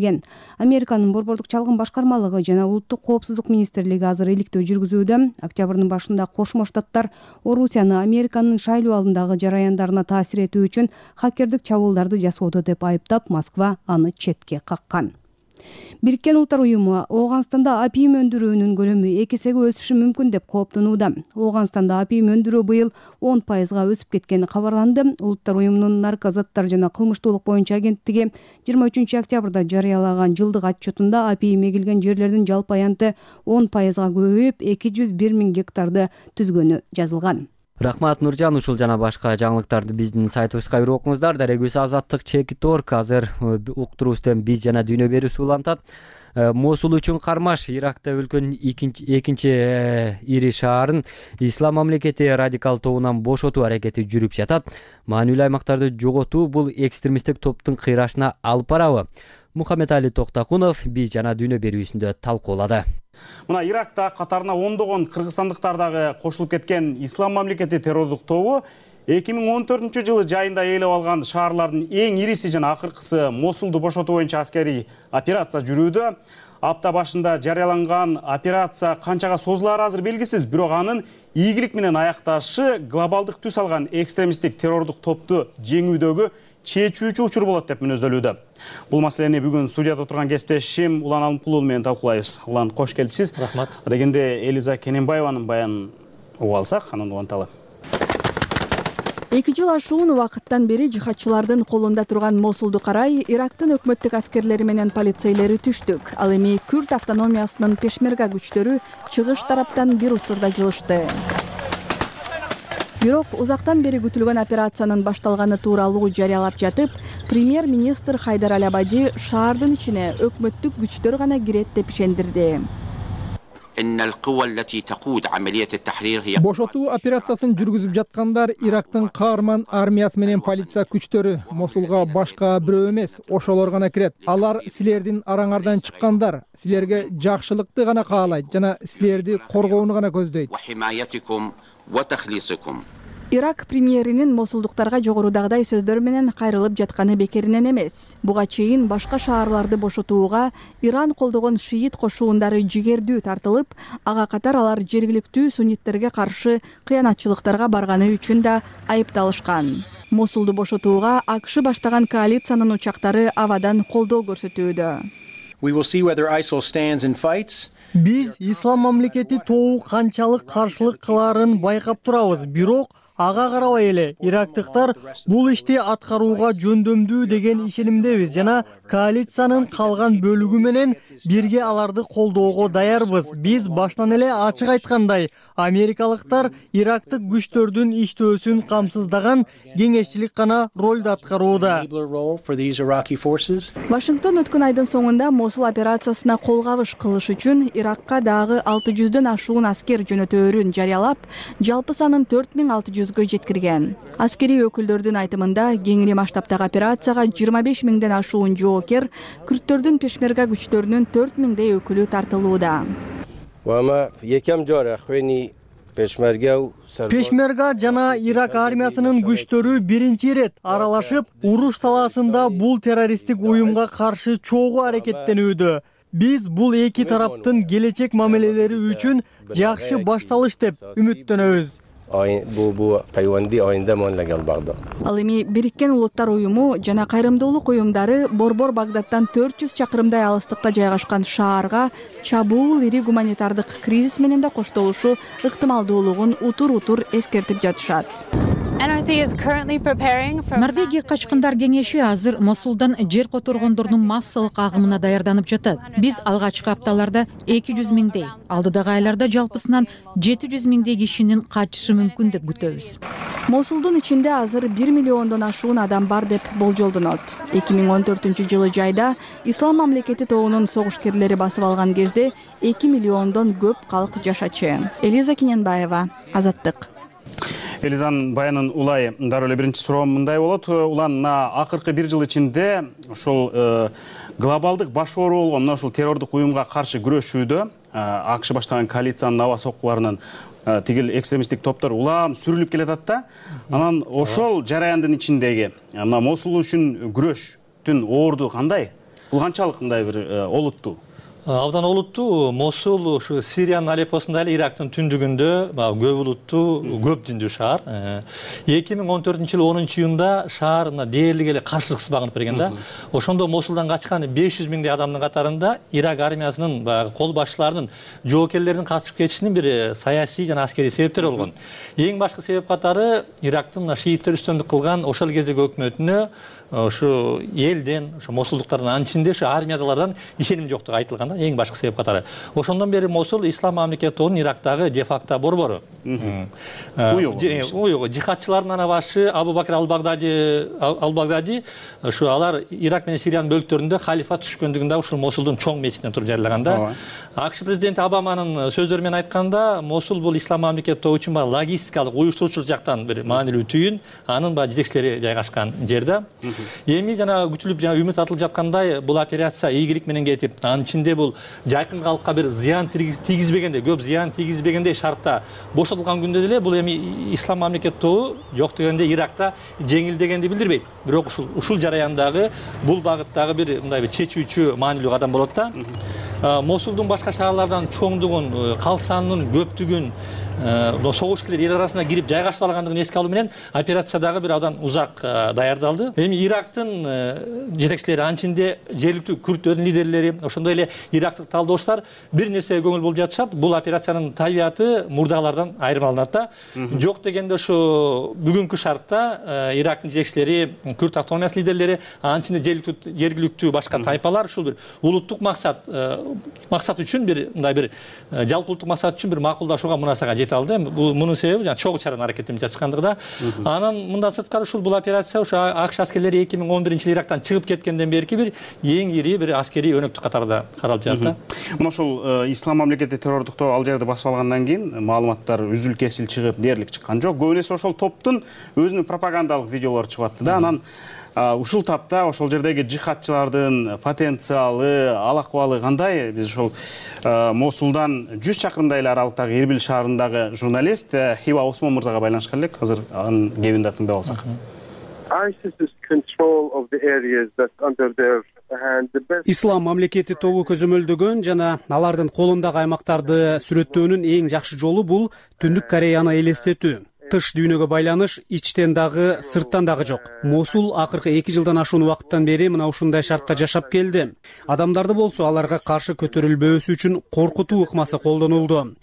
Американын борбордук чалгын башкармалыгы жана улуттук коопсуздук министрлиги азыр иликтөө жүргүзүүдө. Октябрдын башында Кошмо Штаттар Орусияны Американын шайлоо алдындагы жараяндарына таасир этүү үчүн хакердик чабуулдарды жасоодо деп айыптап, Москва аны четке каккан. Бириккен Улуттар уюму Ооганстанда апийим өндүрүүнүн көлөмү 2 эсеге өсүшү мүмкүн деп кооптонууда. Ооганстанда апийим өндүрүү быйыл 10%га өсүп кеткени кабарланды. Улуттар уюмунун наркозаттар жана кылмыштуулук боюнча агенттиги 23 октябрда жарыялаган жылдык отчетунда апийим эгилген жерлердин жалпы аянты 10%га көбөйүп 201 000 гектарды түзгөнү жазылган. Рахмат Нуржан, ушул жана башка жаңылыктарды биздин сайтыбызга кирип окуңуздар. Дарегүс Азаттык Чекит.org азыр уктуруусунан биз жана дүйнө берүүсү улантат. Мосул үчүн кармаш Иракта өлкөнүн экинчи ири шаарын Ислам мамлекети радикал тобунан бошотуу аракети жүрүп жатат. Маанилүү аймактарды жоготуу бул экстремисттик топтун кыйрашына алып барабы? Мухаммед Али Токтакунов биз жана дүйнө берүүсүндө талкуулады. Мына Иракта катарына ондогон кыргызстандыктар дагы кошулуп кеткен Ислам мамлекети террордук тобу 2014 жылы жайында ээлеп алган шаарлардын эң ириси жана акыркысы Мосулду бошотуу боюнча аскерий операция жүрүүдө. Апта башында жарыяланган операция канчага созулаары азыр белгисиз, бирок анын ийгилик менен аякташы глобалдык түс алган экстремисттик террордук топту жеңүүдөгү чечүүчү учур болот деп мүнөздөлүүдө. Бул маселени бүгүн студияда отурган кесиптешим Улан Алымкулуу менен талкуулайбыз. Улан, кош келипсиз. Рахмат. Дегенде Элиза Кененбаеванын баянын угуп алсак, анан уланталы. 2 жыл ашуун убакыттан бери жихадчылардын колунда турган Мосулду карай Ирактын өкмөттүк аскерлери менен полицейлери түштүк. Ал эми Күрд автономиясынын пешмерга күчтөрү чыгыш тараптан бир учурда жылышты. Бирок узактан бери күтүлгөн операциянын башталганы тууралуу жарыялап жатып, премьер-министр Хайдар Аль-Абади шаардын ичине өкмөттүк күчтөр гана кирет деп ишендирди. Бошотуу операциясын жүргүзүп жаткандар Ирактын каарман армиясы менен полиция күчтөрү. Мосулга башка бирөө эмес, ошолор гана кирет. Алар силердин араңардан чыккандар, силерге жакшылыкты гана каалайт жана силерди коргоону гана көздөйт. Ирак премьеринин мосулдуктарга жогорудагыдай сөздөр менен кайрылып жатканы бекеринен эмес. Буга чейин башка шаарларды бошотууга Иран колдогон шиит кошуундары жигердүү тартылып, ага катар алар жергиликтүү сунниттерге каршы кыянатчылыктарга барганы үчүн да айыпталышкан. Мосулду бошотууга АКШ баштаган коалициянын учактары абадан колдоо көрсөтүүдө. Биз Ислам мамлекети тобу канчалык каршылык кылаарын байкап турабыз, бирок ага карабай эле ирактыктар бул ишти аткарууга жөндөмдүү деген ишенимдебиз жана коалициянын калган бөлүгү менен бирге аларды колдоого даярбыз. Биз башынан эле ачык айткандай, америкалыктар ирактык күчтөрдүн иштөөсүн камсыздаган кеңешчилик гана ролду аткарууда. Вашингтон өткөн айдын соңунда Мосул операциясына колгабыш кылыш үчүн Иракка дагы 600дөн ашуун аскер жөнөтөөрүн жарыялап, жалпы санын 4600 жеткирген. Аскерий өкүлдөрдүн айтымында кеңири масштабтагы операцияга 25 000ден ашуун жоокер, күрттөрдүн пешмерга күчтөрүнүн 4000дей өкүлү тартылууда. Пешмерга жана Ирак армиясынын күчтөрү биринчи ирет аралашып, уруш талаасында бул террористтик уюмга каршы чогуу аракеттенүүдө. Биз бул эки тараптын келечек мамилелери үчүн жакшы башталыш деп үмүттөнөбүз. Ал эми Бириккен Улуттар уюму жана кайрымдуулук уюмдары Борбор Багдадтан 400 чакырымдай алыстыкта жайгашкан шаарга чабуул ири гуманитардык кризис менен да коштолушу ыктымалдуулугун утур-утур эскертип жатышат. Норвегия качкындар кеңеши азыр Мосулдан жер которгондордун массалык агымына даярданып жатат. Биз алгачкы апталарда 200 000дей, алдыдагы айларда жалпысынан 700 000дей кишинин качышы мүмкүн деп күтөбүз. Мосулдун ичинде азыр 1 миллиондон ашуун адам бар деп болжолдонот. 2014-жылы жайда Ислам мамлекети тобунун согушкерлери басып алган кезде 2 миллиондон көп калк жашачы. Элиза Кененбаева, Азаттык. Элизанын баянын улай дароо эле биринчи суроом мындай болот. Улан акыркы 1 жыл ичинде ошол глобалдык баш оору болгон мына ушул террордук уюмга каршы күрөшүүдө АКШ баштаган коалициянын аба соккуларынын тигил экстремисттик топтор улам сүрүлүп келатат да. Анан ошол жараяндын ичиндеги Мосул үчүн күрөштүн оорду кандай? Бул канчалык мындай бир олуттуу? Абдан олуттуу Мосул ушу Сириянын Алеппосунда эле Ирактын түндүгүндө көп улуттуу, көп диндүү шаар. 2014-жылы 10-июнда шаар дээрлик эле каршылыксыз багынып берген да. Ошондо Мосулдан качкан 500 миңдей адамдын катарында Ирак армиясынын кол башчыларынын, жоокерлердин катышып кетишинин бир саясий жана аскерий себептери болгон. Эң башкы себеп катары Ирактын шииттер үстөмдүк кылган ошол кездеги өкмөтүнө ошо элден, ошо мосулдуктардын анын ичинде ошо армиядалардан ишеним жоктугу айтылган да, эң башкы себеп катары. Ошондон бери Мосул ислам мамлекетинин Ирактагы де-факто борбору. Уюгу жихадчылардын ана башы Абу Бакр ал-Багдади ушу алар Ирак менен Сириянын бөлүктөрүндө халифат түшкөндүгүндө ушул Мосулдун чоң мечитинен туруп жарыялаган да. АКШ президенти Обаманын сөздөрү менен айтканда, Мосул бул ислам мамлекети үчүн логистикалык, уюштуруучулук жактан бир маанилүү түйүн, анын жетекчилери жайгашкан жерде. Эми жана күтүлүп жана үмүт атылып жаткандай бул операция ийгилик менен кетип, анын ичинде бул жакын калкка бир зыян тийгизбегенде, көп зыян тийгизбегенде шартта бошотулган күндө деле бул эми ислам мамлекет тобу жок дегенде Иракта жеңилдегенди билдирбейт. Бирок ушул жараяндагы бул багыттагы бир мындай бир чечүүчү маанилүү кадам болот да. Мосулдун башка шаарлардан чоңдугун, калк санынын көптүгүн, согушкерлер эл арасына кирип жайгашып алгандыгын эске алуу менен операциядагы бир абдан узак даярдалды. Эми Ирактын жетекчилери, анын ичинде жергиликтүү күрттөрдүн лидерлери, ошондой эле ирактык талдоочулар бир нерсеге көңүл болуп жатышат. Бул операциянын табияты мурдагылардан айырмаланат да. Жок дегенде ошо бүгүнкү шартта Ирактын жетекчилери, күрт автономиясынын лидерлери, анын ичинде жергиликтүү башка тайпалар ушул бир улуттук максат үчүн мындай бир жалпы улуттук максат үчүн бир макулдашууга мунасага жете алды. Бул мунун себеби жана чогуу чараны аракеттенип жатышкандыгы да. Анан мындан сырткары ушул операция ошо АКШ аскерлери 2011-жылы Ирактан чыгып кеткенден берки бир эң ири бир аскерий өнөктүк катарда каралып жатат. Мына ошол ислам мамлекети террордуктоо ал жерди басып алгандан кийин маалыматтар үзүл кесил чыгып, дээрлик чыккан жок. Көбүнесе ошол топтун өзүнүн пропагандалык видеолору чыгып атты да. Анан ушул тапта ошол жердеги жихадчылардын потенциалы, ал акыбалы кандай? Биз ошол Мосулдан 100 чакырымдай эле аралыктагы Эрбил шаарындагы журналист Хива Осмон мырзага байланышкан элек. Азыр анын кебин да тыңдап алсак. Ислам мамлекети тобу көзөмөлдөгөн жана алардын колундагы аймактарды сүрөттөөнүн эң жакшы жолу бул Түндүк Кореяны элестетүү. Тыш дүйнөгө байланыш ичтен дагы, сырттан дагы жок. Мосул акыркы 2 жылдан ашуун убакыттан бери мына ушундай шартта жашап келди. Адамдарды болсо аларга каршы көтөрүлбөөсү үчүн коркутуу ыкмасы колдонулду.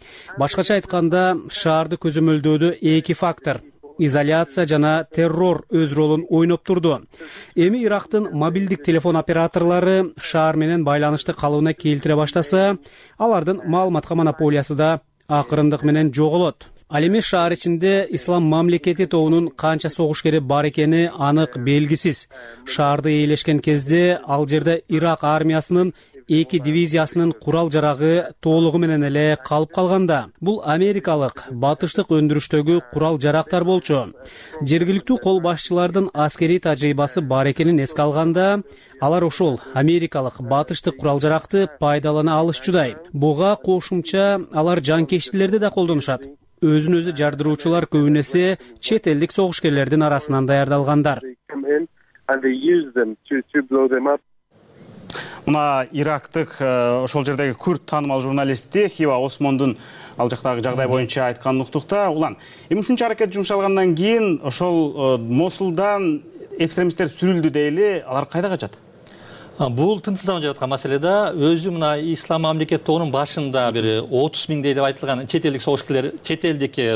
Башкача айтканда, шаарды көзөмөлдөөдө 2 фактор: изоляция жана террор өз ролун ойноп турду. Эми Ирактын мобилдик телефон операторлору шаар менен байланышты калыбына келтире баштаса, алардын маалыматка монополиясы да акырындык менен жоголот. Ал эми шаар ичинде ислам мамлекети тобунун канча согушкери бар экени анык белгисиз. Шаарды ээлешкен кезде ал жерде Ирак армиясынын 2 дивизиясынын курал жарагы толугу менен эле калып калганда. Бул америкалык батыштык өндүрүштөгү курал жарактар болчу. Жергиликтүү кол башчылардын аскерий тажрыйбасы бар экенин эске алганда, алар ошол америкалык батыштык курал жаракты пайдалана алышчудай. Буга кошумча алар жанкечтилерди да колдонушат. Өзүн өзү жардыруучулар көбүнесе чет элдик согушкерлердин арасынан даярдалгандар. Мына Ирактык ошол жердеги күрт таанымал журналисти Хива Осмондун ал жактагы жагдай боюнча айткан уктукта, улан эми ушунча аракет жумшалгандан кийин ошол Мосулдан экстремисттер сүрүлдү дейли, алар кайда качат? Бул тынчсызданып жаткан маселе да. Өзү мына ислам мамлекет тобунун башында бир 30 миңдей деп айтылган чет элдик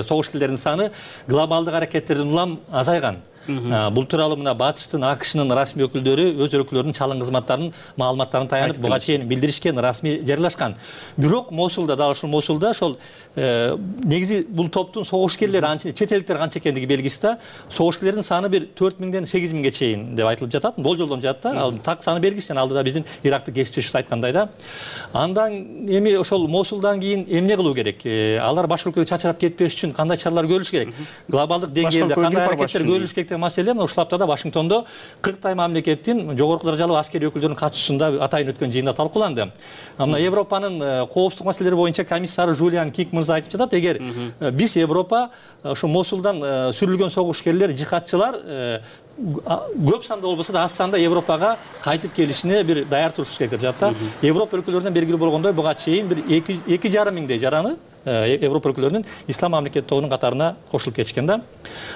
согушкерлердин саны глобалдык аракеттерден улам азайган. Бул тууралуу мына Батыштын, АКШнын расмий өкүлдөрү өз өлкөлөрүнүн чалым кызматтарынын маалыматтарын таянып буга чейин билдиришкен, расмий жарыялашкан. Бирок Мосулда, дал ошол Мосулда ошол негизи бул топтун согушкерлери анча чет элдиктер канча экендиги белгисиз да. Согушкерлердин саны бир 4 миңден 8 миңге чейин деп айтылып жатат, болжолдонуп жатат да. Ал так саны белгисиз, алдыда биздин Ирактык кесиптешибиз айткандай да. Андан эми ошол Мосулдан кийин эмне кылуу керек? Алар башка өлкөгө чачырап кетпеш үчүн кандай чаралар көрүлүш керек? Глобалдык деңгээлде кандай аракеттер көрүлүш керек деген маселе ушул аптада Вашингтондо Кыргызстан мамлекеттин жогорку даражалуу аскерий өкүлдөрүнүн катышуусунда атайын өткөн жыйында талкууланды. Мына Европанын коопсуздук маселелери боюнча комиссары Жулиан Кинг мырза айтып жатат, эгер биз Европа ушу Мосулдан сүрүлгөн согушкерлер, жихадчылар көп санда болбосо да аз санда Европага кайтып келишине бир даяр турушубуз керек деп жатат. Европа өлкөлөрүнөн белгилүү болгондой буга чейин бир 2,5 миңдей жараны Европа өлкөлөрүнүн ислам мамлекет тобунун катарына кошулуп кетишкен да.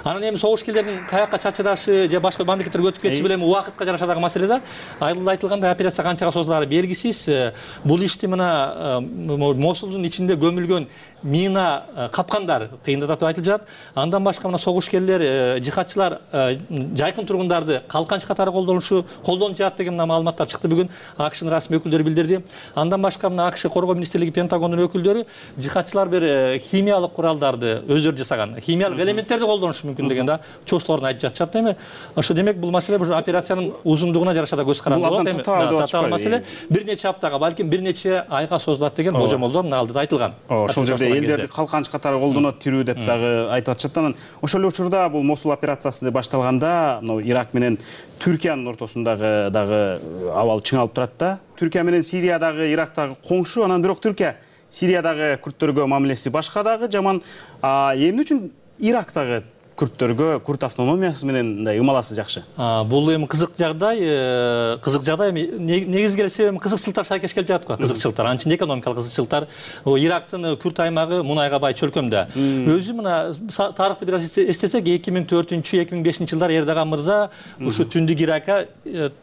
Анан эми согушкерлердин каяка чачырашы же башка мамлекеттерге өтүп кетиши менен убакытка жараша дагы маселе да. Айылда айтылгандай операция канчага созулаары белгисиз. Бул ишти мына Мосулдун ичинде көмүлгөн мина капкандар кыйындатып айтылып жатат. Андан башка мына согушкерлер, жихадчылар жайкын тургундарды калканч катары колдонуп жатат деген маалыматтар чыкты бүгүн. АКШнын расмий өкүлдөрү билдирди. Андан башка мына АКШ Коргоо министрлиги, Пентагондун өкүлдөрү жихадчылар бир химиялык куралдарды өздөрү жасаган, химиялык элементтерди колдонушу мүмкүн деген да чоочуларын айтып жатышат эми. Ошо демек бул маселе бул операциянын узундугуна жараша да көз каранды болот эми. Татаал маселе бир нече аптага, балким бир нече айга созулат деген болжомолдор мына алдыда айтылган. Ошол жерде элдерди калканч катары колдонот, тирүү деп дагы айтып атышат. Анан ошол эле учурда бул Мосул операциясы башталганда Ирак менен Түркиянын ортосундагы дагы абал чыңалып турат да. Түркия менен Сириядагы, Ирактагы коңшу, анан бирок Түркия Сириядагы күрттөргө мамилеси башка дагы жаман. Эмне үчүн Ирактагы күрттөргө, күрт автономиясы менен мындай ымаласы жакшы? Бул эми кызык жагдай эми негизги эле себеби кызыкчылыктар шайкеш келип жатат го. Кызыкчылыктар, анын ичинде экономикалык кызыкчылыктар. Ирактын күрт аймагы мунайга бай чөлкөмдө. Өзү мына тарыхты бир аз эстесек, 2004-2005 жылдар Эрдоган мырза ушу Түндүк Иракка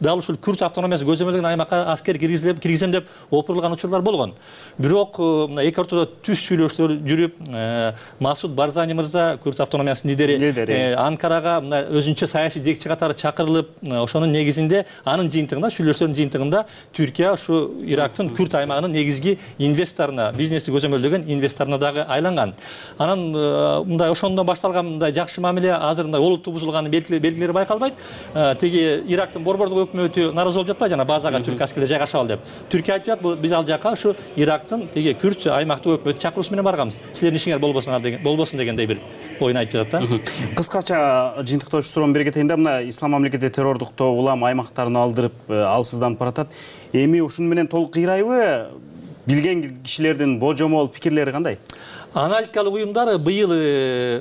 дал ушул күрт автономиясы көзөмөлдөгөн аймакка аскер киргизем деп опурулган учурлар болгон. Бирок мына эки ортодо түз сүйлөшүүлөр жүрүп, Масуд Барзани мырза күрт автономиясынын лидери Анкарага мына өзүнчө саясий жетекчи катары чакырылып, ошонун негизинде анын жыйынтыгында, сүйлөшүүлөрдүн жыйынтыгында Түркия ушу Ирактын күрт аймагынын негизги инвесторуна, бизнести көзөмөлдөгөн инвесторуна дагы айланган. Анан мындай ошондон башталган мындай жакшы мамиле азыр мындай олуттуу бузулганын белгилери байкалбайт. Тиги Ирактын борбордук өкмөтү нааразы болуп жатпайбы, жана базага түрк аскерлери жайгашабал деп. Түркия айтып жатат, биз ал жака ушу Ирактын тиги күрт аймактык өкмөт чакыруусу менен барганбыз. Силердин ишиңер болбосун дегендей бир оюн айтып жатат да. Кыскача жыйынтыктоочу суроону бере кетейин да. Мына ислам мамлекети террордук тобу улам аймактарын алдырып, алсызданып баратат. Эми ушуну менен толук кыйрайбы? Билген кишилердин божомол пикирлери кандай? Аналитикалык уюмдар быйыл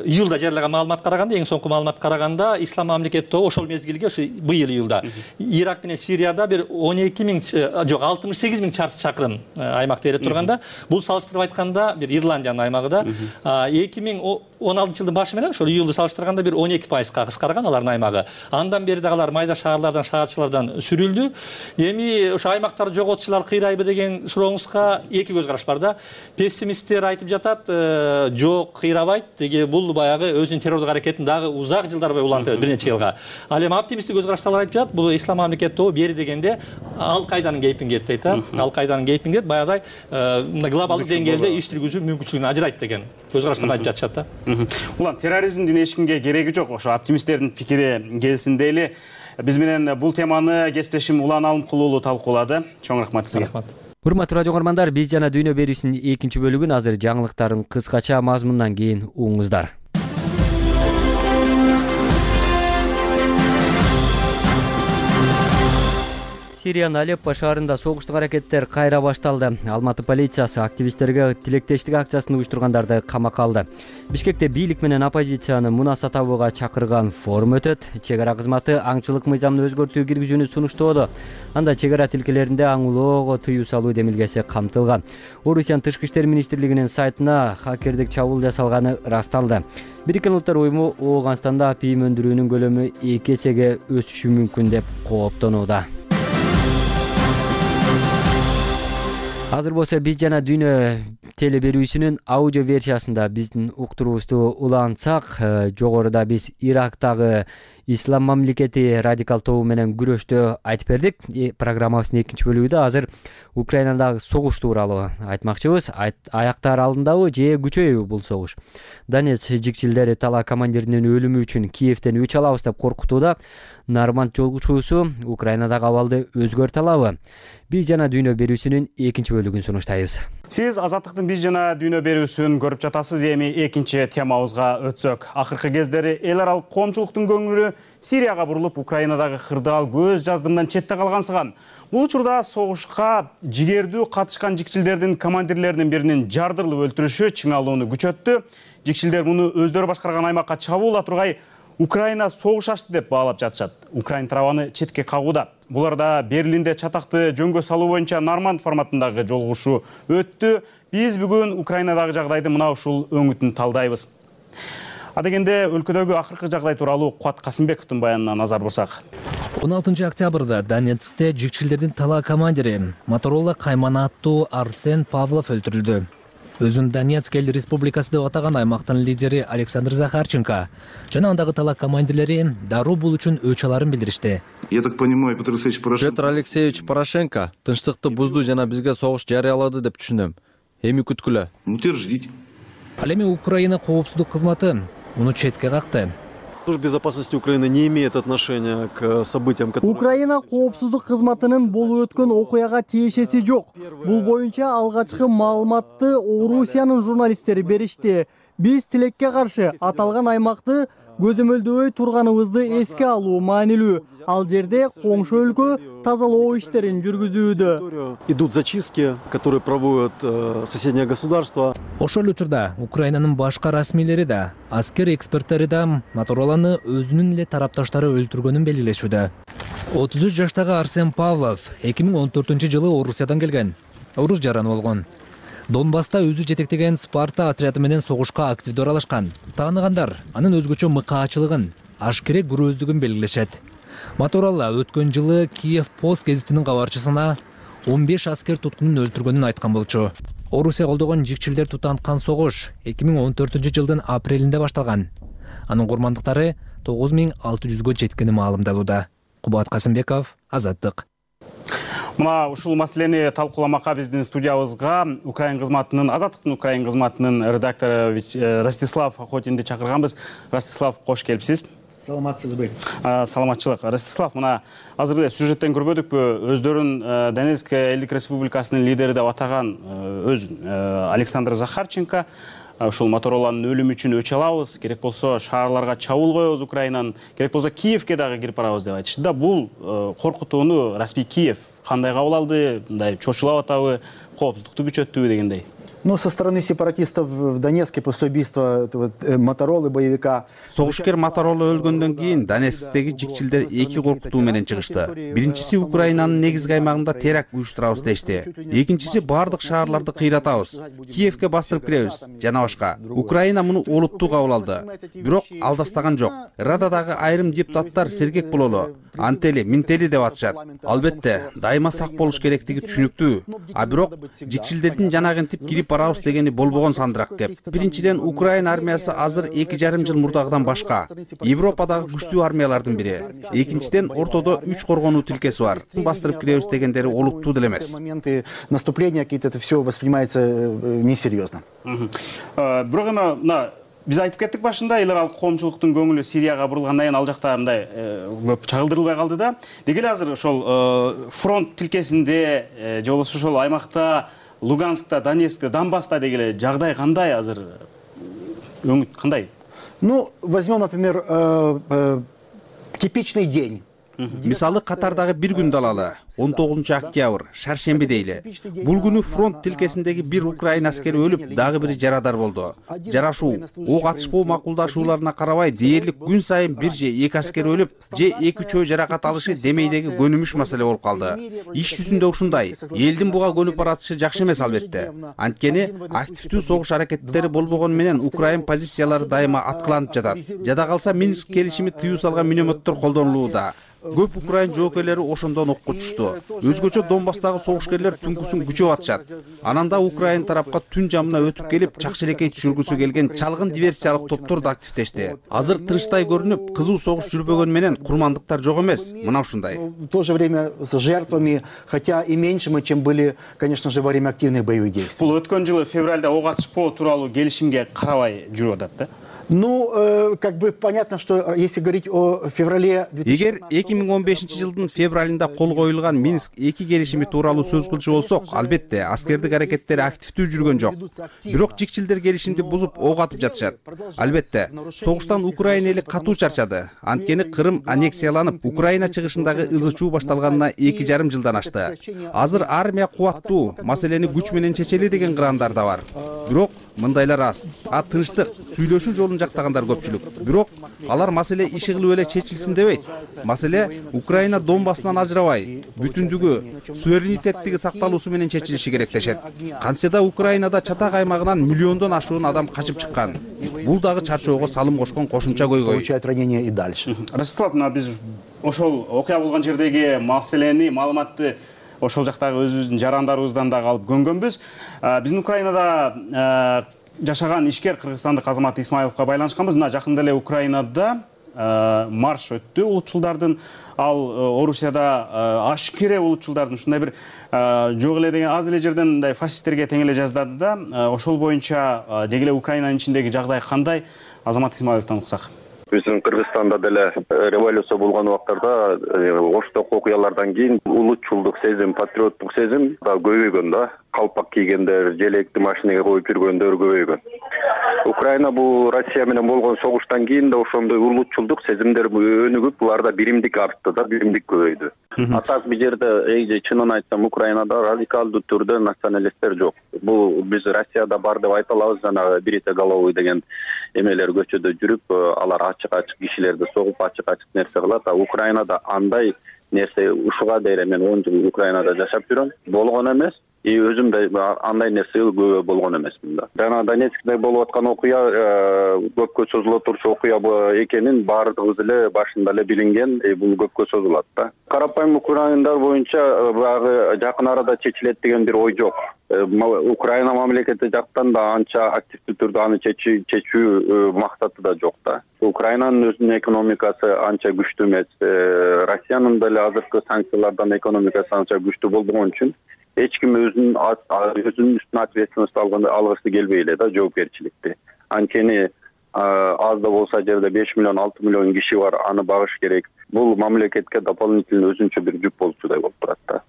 июлда жарыялаган маалыматка караганда, эң соңку маалыматка караганда, ислам мамлекети тобу ошол мезгилге ушу быйыл июлда Ирак менен Сирияда бир 68 миң чарчы чакырым аймакта ээлеп турганда, бул салыштырып айтканда бир Ирландиянын аймагы да 2016 жылдын башы менен ошол июлду салыштырганда бир 12%га кыскарган алардын аймагы. Андан бери дагы алар майда шаарлардан, шаарчылардан сүрүлдү. Эми ошо аймактарды жоготушулар кыйрайбы деген сурооңузга эки көз караш бар да. Пессимисттер айтып жатат, жок, кыйрабайт, деги бул баягы өзүнүн террордук аракетин дагы узак жылдар бою улантып бир нече жылга. Ал эми оптимисттик көз караштагылар айтып жатат, бул ислам мамлекети тобу бери дегенде Ал-Кайданын кейпинге дейт да. Ал-Кайданын кейпинге баягыдай глобалдык деңгээлде иш жүргүзүү мүмкүнчүлүгүн ажырайт деген көз караштар айтып жатышат да. Улам терроризмдин эч кимге кереги жок. Ошо оптимисттердин пикири келсин дейли. Биз менен бул теманы кесиптешим Улан Алымкул уулу талкуулады. Чоң рахмат сизге. Урматтуу радио угармандар, биз жана дүйнө берүүсүнүн экинчи бөлүгүн азыр жаңылыктардын кыскача мазмунунан кийин угуңуздар. Сириянын Алеппо шаарында согуштук аракеттер кайра башталды. Алматы полициясы активисттерге тилектештик акциясын уюштургандарды камакка алды. Бишкекте бийлик менен оппозицияны мунаса табууга чакырган форум өтөт. Чек ара кызматы аңчылык мыйзамын өзгөртүү киргизүүнү сунуштоодо. Анда чек ара тилкелеринде аңлоого тыюу салуу демилгеси камтылган. Орусиянын Тышкы иштер министрлигинин сайтына хакердик чабуул жасалганы ырасталды. Бириккен Улуттар уюму Ооганстанда апийим өндүрүүнүн көлөмү 2 эсеге өсүшү мүмкүн деп кооптонууда. Азыр болсо биз жана дүйнө теле берүүсүнүн аудио версиясында биздин уктуруубузду улантсак, жогоруда биз Ирактагы ислам мамлекети радикал тобу менен күрөштү айтып бердик. Программабыздын экинчи бөлүгүндө азыр Украинадагы согуш тууралуу айтмакчыбыз. Аяктар алдындабы же күчөйбү бул согуш? Донец жикчилдери тала командиринин өлүмү үчүн Киевтен өч алабыз деп коркутууда. Нарманд жолгучуусу Украинадагы абалды өзгөртө алабы? Биз жана дүйнө берүүсүнүн экинчи бөлүгүн сунуштайбыз. Сиз Азаттыктын биз жана дүйнө берүүсүн көрүп жатасыз. Эми экинчи темабызга өтсөк. Акыркы кездери эл аралык коомчулуктун көңүлү Сирияга бурулуп, Украинадагы кырдаал көз жаздымдан четте калгансыган. Бул учурда согушка жигердүү катышкан жикчилдердин командирлеринин биринин жардырылып өлтүрүшү чыңалууну күчөттү. Жикчилдер муну өздөрү башкарган аймакка чабуул тургай Украина согуш ачты деп баалап жатышат. Украин тарабаны четке кагууда. Буларда Берлинде чатакты жөнгө салуу боюнча Норманд форматындагы жолугушуу өттү. Биз бүгүн Украинадагы жагдайды мына ушул өңүтүн талдайбыз. Адегенде өлкөдөгү акыркы жагдай тууралуу Кубат Касымбековдун баянына назар бурсак. 16 октябрда Донецкте жикчилдердин тала командири Моторола Каймана аттуу Арсен Павлов өлтүрүлдү. Өзүн Донецк эл республикасы деп атаган аймактын лидери Александр Захарченко жана андагы тала командирлери дароо бул үчүн өч аларын билдиришти. Я так понимаю, Петр Алексеевич Порошенко тынчтыкты бузду жана бизге согуш жарыялады деп түшүнөм. Эми күткүлө. Ждите. Ал эми Украина коопсуздук кызматы муну четке какты. Служба безопасности Украины не имеет отношения к событиям, которые... Украина коопсуздук кызматынын болуп өткөн окуяга тиешеси жок. Бул боюнча алгачкы маалыматты Орусиянын журналисттери беришти. Биз тилекке каршы аталган аймакты көзөмөлдөбөй турганыбызды эске алуу маанилүү. Ал жерде коңшу өлкө тазалоо иштерин жүргүзүүдө. Идут зачистки, которые проводят соседние государства. Ошол учурда Украинанын башка расмийлери да, аскер эксперттери да Мотороланы өзүнүн эле тарапташтары өлтүргөнүн белгилешүүдө. 33 жаштагы Арсен Павлов 2014-жылы Орусиядан келген. Орус жараны болгон. Донбасста өзү жетектеген Спарта отряды менен согушка активдүү аралашкан. Тааныгандар анын өзгөчө мыкаачылыгын, ашкерек күрөөздүгүн белгилешет. Моторола өткөн жылы Киев Пост гезитинин кабарчысына 15 аскер туткунун өлтүргөнүн айткан болчу. Орусия колдогон жикчилдер тутанткан согуш 2014-жылдын апрелинде башталган. Анын курмандыктары 9600-гө жеткени маалымдалууда. Кубат Касымбеков, Азаттык. Мына ушул маселени талкууламакка биздин студиябызга Азаттыктын Украин кызматынын редактору Ростислав Охотинди чакырганбыз. Ростислав, кош келипсиз. Саламатсызбы? Саламатчылык. Ростислав, мына азыр сюжеттен көрбөдүкпү, өздөрүн Донецк элдик республикасынын лидери деп атаган өзүн Александр Захарченко ушул Мотороланын өлүмү үчүн өч алабыз, керек болсо шаарларга чабуул коебуз Украинанын, керек болсо Киевке дагы кирип барабыз деп айтышты да. Бул коркутууну расмий Киев кандай кабыл алды? Мындай чочулап атабы, коопсуздукту күчөттүбү дегендей? Со стороны сепаратистов в Донецке после убийства Моторолы, боевика. Согушкер Моторола өлгөндөн кийин Донецктеги жикчилдер эки коркутуу менен чыгышты. Биринчиси Украинанын негизги аймагында теракт уюштурабыз дешти. Экинчиси бардык шаарларды кыйратабыз, Киевке бастырып киребиз жана башка. Украина муну олуттуу кабыл алды. Бирок алдастаган жок. Рададагы айрым депутаттар сергек бололу, антели, минтели деп атышат. Албетте, дайыма сак болуш керектиги түшүнүктүү. А бирок жикчилдердин жанагынтип кирип барабыз дегени болбогон сандырак кеп. Биринчиден, Украина армиясы азыр 2,5 жыл мурдагыдан башка. Европадагы күчтүү армиялардын бири. Экинчиден, ортодо 3 коргонуу тилкеси бар. Бастырып киребиз дегендери олуттуу деле эмес. Моменты наступления, это все воспринимается несерьезно. Бирок эми биз айтып кеттик башында, эл аралык коомчулуктун көңүлү Сирияга бурулгандан кийин ал жакта мындай көп чагылдырылбай калды да. Деги эле азыр ошол фронт тилкесинде же болбосо ошол аймакта Луганскта, Донецкте, Донбасста деги эле жагдай кандай азыр? Өңүт кандай? Возьмем, например, типичный день. Мисалы Катардагы бир күндү алалы, 19 октябрь, шаршемби дейли. Бул күнү фронт тилкесиндеги бир Украина аскери өлүп, дагы бири жарадар болду. Жарашуу, ок атышпоо макулдашууларына карабай, дээрлик күн сайын бир же эки аскер өлүп, же 2-3 жаракат алышы демейдеги көнүмүш маселе болуп калды. Иш жүзүндө ушундай. Элдин буга көнүп баратышы жакшы эмес албетте. Анткени активдүү согуш аракеттери болбогону менен Украин позициялары дайыма аткыланып жатат. Жада калса Минск келишими тыюу салган минометтер колдонулууда. Көп Украин жоокерлери ошондон окко түштү. Өзгөчө Донбасстагы согушкерлер түнкүсүн күчөп атышат. Ананда Украин тарапка түн жамына өтүп келип, чакчелекей түшүргүсү келген чалгын диверсиялык топтор да активдешти. Азыр тынчтай көрүнүп, кызуу согуш жүрбөгөн менен курмандыктар жок эмес. Мына ушундай. В то же время с жертвами, хотя и меньшими, чем были, конечно же, во время активных боевых действий. Бул өткөн жылы февралда ок атышпоо тууралуу келишимге карабай жүрүп атат да. Ну, как бы понятно, что если говорить о феврале... Эгер 2015-жылдын февралында кол коюлган Минск 2 келишими тууралуу сөз кылчу болсок, албетте аскердик аракеттер активдүү жүргөн жок. Бирок жикчилдер келишимди бузуп ок атып жатышат. Албетте, согуштан Украина эли катуу чарчады. Анткени Кырым аннексияланып, Украина чыгышындагы ызы-чуу башталганына 2,5 жылдан ашты. Азыр армия кубаттуу, маселени күч менен чечели деген кырандар да бар. Бирок мындайлар аз. Тынчтык, сүйлөшүү жолун жактагандар көпчүлүк. Бирок алар маселе иши кылып эле чечилсин дебейт. Маселе Украина Донбассынан ажырабай, бүтүндүгү, суверенитеттиги сакталуусу менен чечилиши керек дешет. Кантсе Украинада чатак аймагынан миллиондон ашуун адам качып чыккан. Бул дагы чарчоого салым кошкон кошумча көйгөй. Получают ранения и дальше. Ростислав, биз ошол окуя болгон жердеги маселени, маалыматты ошол жактагы өзүбүздүн жарандарыбыздан дагы алып көнгөнбүз. Биздин Украинада жашаган ишкер кыргызстандык Азамат Исмаиловго байланышканбыз. Мына жакында эле Украинада марш өттү улутчулдардын, ал Орусияда ашкере улутчулдардын ушундай бир жок эле деген аз эле жерден мындай фашисттерге тең эле жаздады да. Ошол боюнча деги эле Украинанын ичиндеги жагдай кандай? Азамат Исмаиловдон уксак. Биздин Кыргызстанда деле революция болгон убактарда ошток окуялардан кийин улутчулдук сезим, патриоттук сезим да көбөйгөн да. Калпак кийгендер, желекти машинеге коюп жүргөндөр көбөйгөн. Украина бул Россия менен болгон согуштан кийин да ошондой улутчулдук сезимдер өнүгүп, буларда биримдик артты да, биримдик көбөйдү. А так бул жерде чынын айтсам Украинада радикалдуу түрдө националисттер жок. Бул биз Россияда бар деп айта алабыз, жана бритоголовый деген эмелер көчөдө жүрүп, алар ачык-ачык кишилерди согуп, ачык-ачык нерсе кылат. А Украинада андай нерсе ушуга дейре мен 10 жыл Украинада жашап жүрөм, болгон эмес. И өзүм да андай нерсе көбө болгон эмесмин да. Жана Донецкте болуп аткан окуя көпкө созуло турчу окуя экенин баардыгыбыз эле башында эле билинген, бул көпкө созулат да. Карапайым украиндар боюнча баягы жакын арада чечилет деген бир ой жок. Украина мамлекети жактан да анча активдүү түрдө аны чечүү максаты да жок да. Украинанын өзүнүн экономикасы анча күчтүү эмес. Россиянын деле азыркы санкциялардан экономикасы анча күчтүү болбогон үчүн эч ким өзүнүн үстүнө ответственность алгысы келбей эле да, жоопкерчиликти. Анткени аз да болсо жерде 5 миллион, 6 миллион киши бар, аны багыш керек. Бул мамлекетке дополнительный өзүнчө бир жүк болчудай болуп турат да.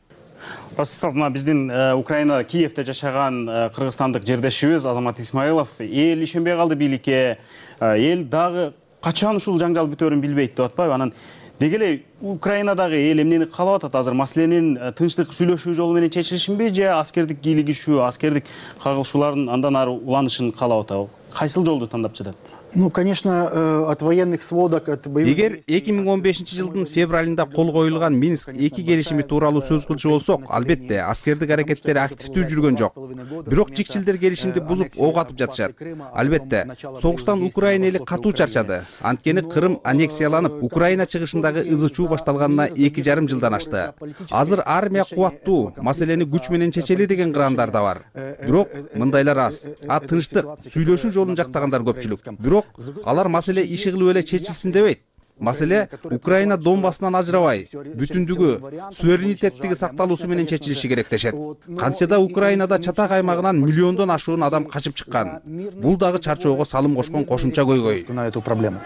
Ростислав, биздин Украина Киевде жашаган кыргызстандык жердешибиз Азамат Исмаилов эл ишенбей калды бийликке. Эл дагы качан ушул жаңжал бүтөөрүн билбейт деп атпайбы? Анан деги эле Украинадагы эл эмнени каалап атат? Азыр маселенин тынчтык сүйлөшүү жолу менен чечилишинби, же аскердик кийлигишүү, аскердик кагылышуулардын андан ары уланышын каалап атабы? Кайсыл жолду тандап жатат? Ну, конечно, от военных сводок, от боевых... Эгер 2015-жылдын февралында кол коюлган Минск 2 келишими тууралуу сөз кылчу болсок, албетте аскердик аракеттер активдүү жүргөн жок. Бирок жикчилдер келишимди бузуп ок атып жатышат. Албетте, согуштан Украина эли катуу чарчады. Анткени Кырым аннексияланып, Украина чыгышындагы ызы-чуу башталганына 2,5 жылдан ашты. Азыр армия кубаттуу, маселени күч менен чечели деген кырандар да бар. Бирок мындайлар аз. Тынчтык, сүйлөшүү жолун жактагандар көпчүлүк. Бирок алар маселе иши кылып эле чечилсин дебейт. Маселе Украина Донбассынан ажырабай, бүтүндүгү, суверенитеттиги сакталуусу менен чечилиши керек дешет. Кантсе Украинада чатак аймагынан миллиондон ашуун адам качып чыккан. Бул дагы чарчоого салым кошкон кошумча көйгөй. На эту проблему.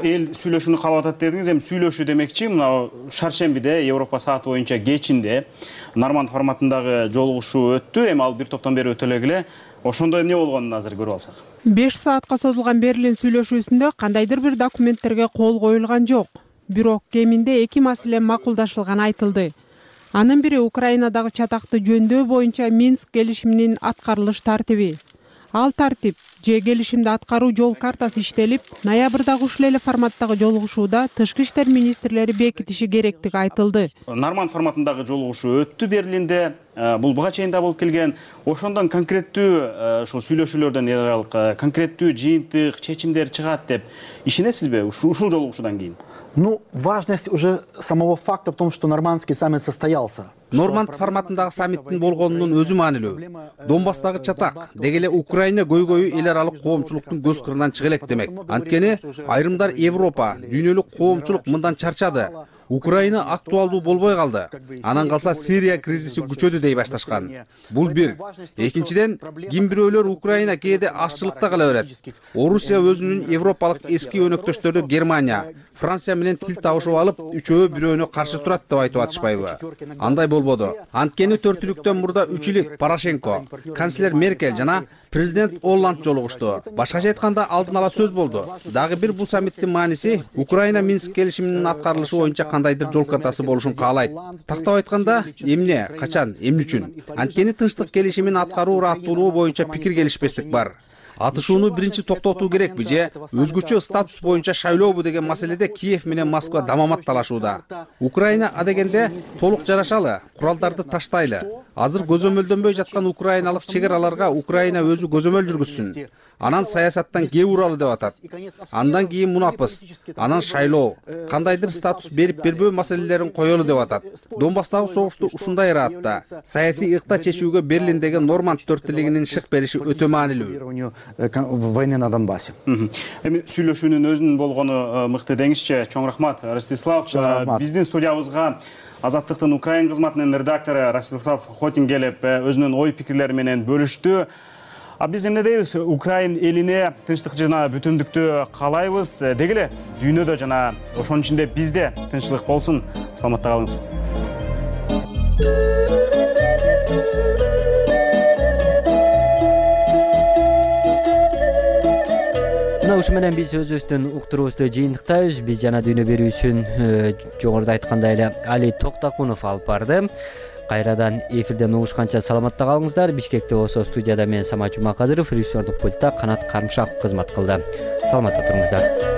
Эл сүйлөшүүнү каалап атат дедиңиз, эми сүйлөшүү демекчи, мына шаршембиде Европа сааты боюнча кечинде Норманд форматындагы жолугушуу өттү. Эми ал бир топтон бери өтө эле. Ошондо эмне болгонун азыр көрүп алсак. 5 саатка созулган Берлин сүйлөшүүсүндө кандайдыр бир документтерге кол коюлган жок. Бирок кеминде 2 маселе макулдашылганы айтылды. Анын бири Украинадагы чатакты жөндөө боюнча Минск келишиминин аткарылыш тартиби. Ал тартип же келишимди аткаруу жол картасы иштелип, ноябрдагы ушул эле форматтагы жолугушууда тышкы иштер министрлери бекитиши керектиги айтылды. Норманд форматындагы жолугушуу өттү Берлинде. Бул буга чейин да болуп келген. Ошондон конкреттүү ушул сүйлөшүүлөрдөн эл аралык конкреттүү жыйынтык чечимдер чыгат деп ишенесизби ушул жолугушуудан кийин? Ну, важность уже самого факта в том, что нормандский саммит состоялся. Норманд форматындагы саммиттин болгонунун өзү маанилүү. Донбасстагы чатак, деги эле Украина көйгөйү эл аралык коомчулуктун көз кырынан чыга элек демек. Анткени айрымдар Европа, дүйнөлүк коомчулук мындан чарчады. Украина актуалдуу болбой калды. Анан калса Сирия кризиси күчөдү дей башташкан. Бул бир. Экинчиден, ким бирөөлөр Украина кээде ашчылыкта кала берет. Орусия өзүнүн европалык эски өнөктөштөрү Германия, Франция менен тил табышып алып, үчөө бирөөнө каршы турат деп айтып атышпайбы? Андай болбоду. Анткени төртүлүктөн мурда 3 ил Порошенко, канцлер Меркель жана президент Олланд жолугушту. Башкача айтканда алдын ала сөз болду. Дагы бир бул саммиттин мааниси Украина Минск келишиминин аткарылышы боюнча кандайдыр жол картасы болушун каалайт. Тактап айтканда, эмне, качан, эмне үчүн? Анткени тынчтык келишимин аткаруу аттуулугу боюнча пикир келишпестик бар. Атышууну биринчи токтотуу керекпи же өзгөчө статус боюнча шайлообу деген маселеде Киев менен Москва дамамат талашууда. Украина адегенде толук жарашалы, куралдарды таштайлы. Азыр көзөмөлдөнбөй жаткан украиналык чек араларга Украина өзү көзөмөл жүргүзсүн. Анан саясаттан кээ уралы деп атат. Андан кийин мунапыс, анан шайлоо, кандайдыр статус берип бербөө маселелерин коелу деп атат. Донбасстагы согушту ушундай ыраатта саясий ыкта чечүүгө Берлиндеги Норманд төрттүүлүгүнүн шык бериши өтө маанилүү. Войны на Донбассе. Эми сүйлөшүүнүн өзүнүн болгону мыкты деңизчи. Чоң рахмат, Ростислав. Биздин студиябызга Азаттыктын Украин кызматынын редактору Ростислав Хотин келип, өзүнүн ой пикирлери менен бөлүштү. Биз эмне дейбиз? Украин элине тынчтык жана бүтүндүктү каалайбыз. Деги эле дүйнөдө жана ошонун ичинде бизде тынчтык болсун. Саламатта калыңыз. Ушу менен биз өзүбүздүн уктуруубузду жыйынтыктайбыз. Биз жана дүйнө берүүсүн жогоруда айткандай эле Али Токтакунов алып барды. Кайрадан эфирден угушканча саламатта калыңыздар. Бишкекте болсо студияда мен Самат Жумакадыров, режиссердук пультта Канат Карымшаков кызмат кылды. Саламатта туруңуздар.